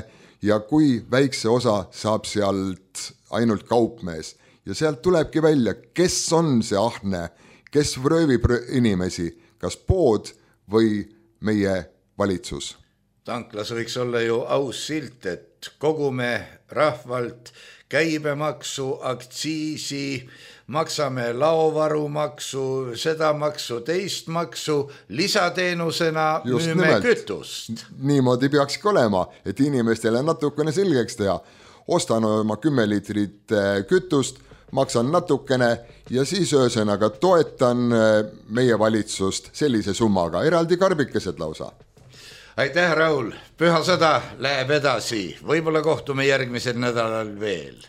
ja kui väikse osa saab sealt ainult kaupmees. Ja sealt tulebki välja, kes on see ahne, kes röövib inimesi, kas pood või meie valitsus. Tanklas võiks olla ju aus silt, et kogume rahvalt käibemaksu, aktsiisi, maksame laovarumaksu, seda maksu, teist maksu, lisateenusena müüme kütust. Niimoodi peakski olema, et inimestele natukene selgeks teha. Ostan oma 10 liitrit kütust, maksan natukene ja siis öösõnaga toetan meie valitsust sellise summaga, eraldi karbikesed lausa. Aitäh, Raul! Pühasõda läheb edasi. Võib-olla kohtume järgmisel nädalal veel.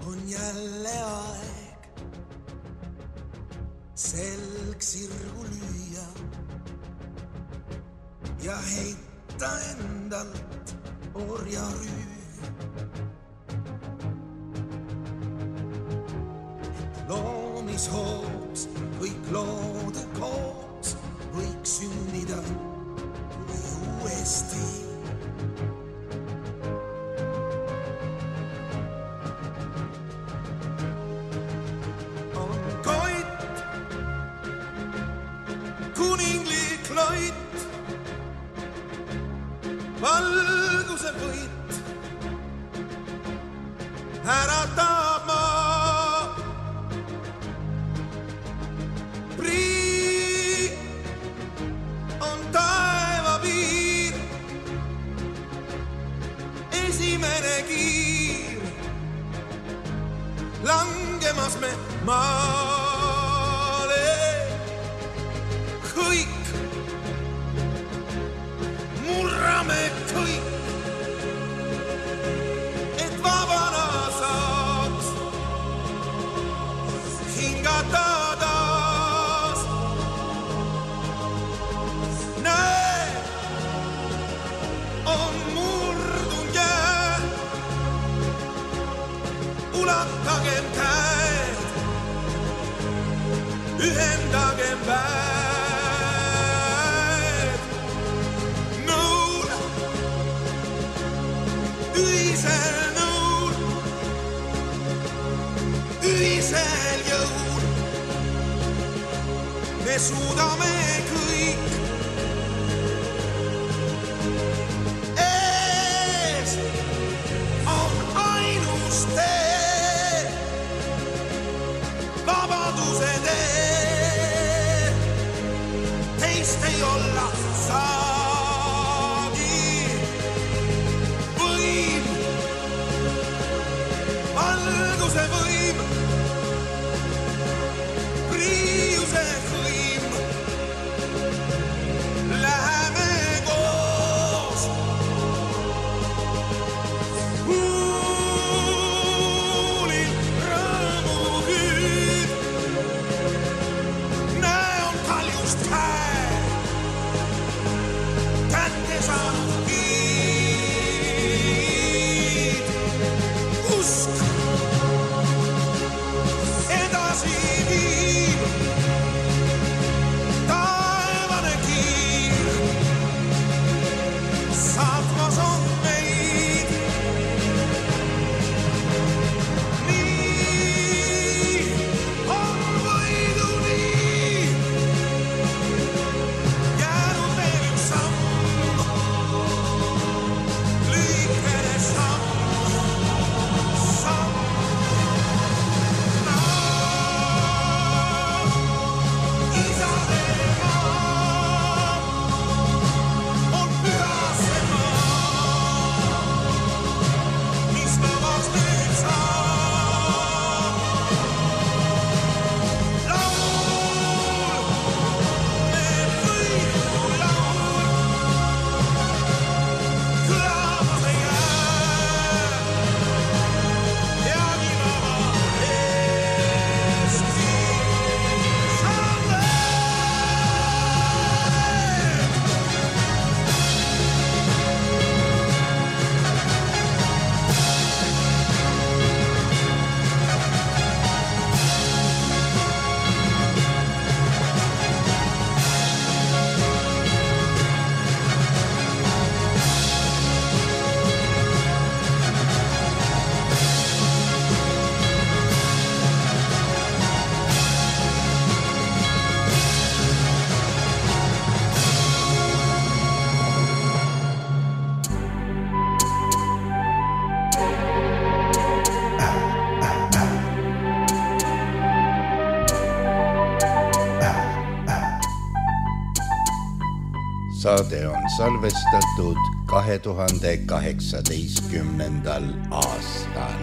On jälle aeg selg sirgu lüüa ja heita endalt orjarüü. Loomishoops kõik loode koos võiks sünnida või uuesti. Valguse võit äratab maa. Prii on taeva piir, esimene kiir. Langemas me maale kõik. Murrame kõik, et vabana saaks hingata taas. Näe, on murdun jää, me suudame kõik. Ees on ainus tee, vabaduse tee, teist ei olla saagi. Võim, valguse võim, priiuse hõim, läheme koos. Kuulin rõõmuküüd, näon kaljust käe, kätte saanud kiid. Usk edasi viib, taevane kiir saatmas on meid. Nii on võiduni jäänud veel üks samm, lühikene samm, samm. Isade maa on püha see maa, mis vabaks nüüd saab. Laul, me võidu laul, kõlamas ei jää, peagi vaba Eesti saame. Saade on salvestatud 2018. aastal.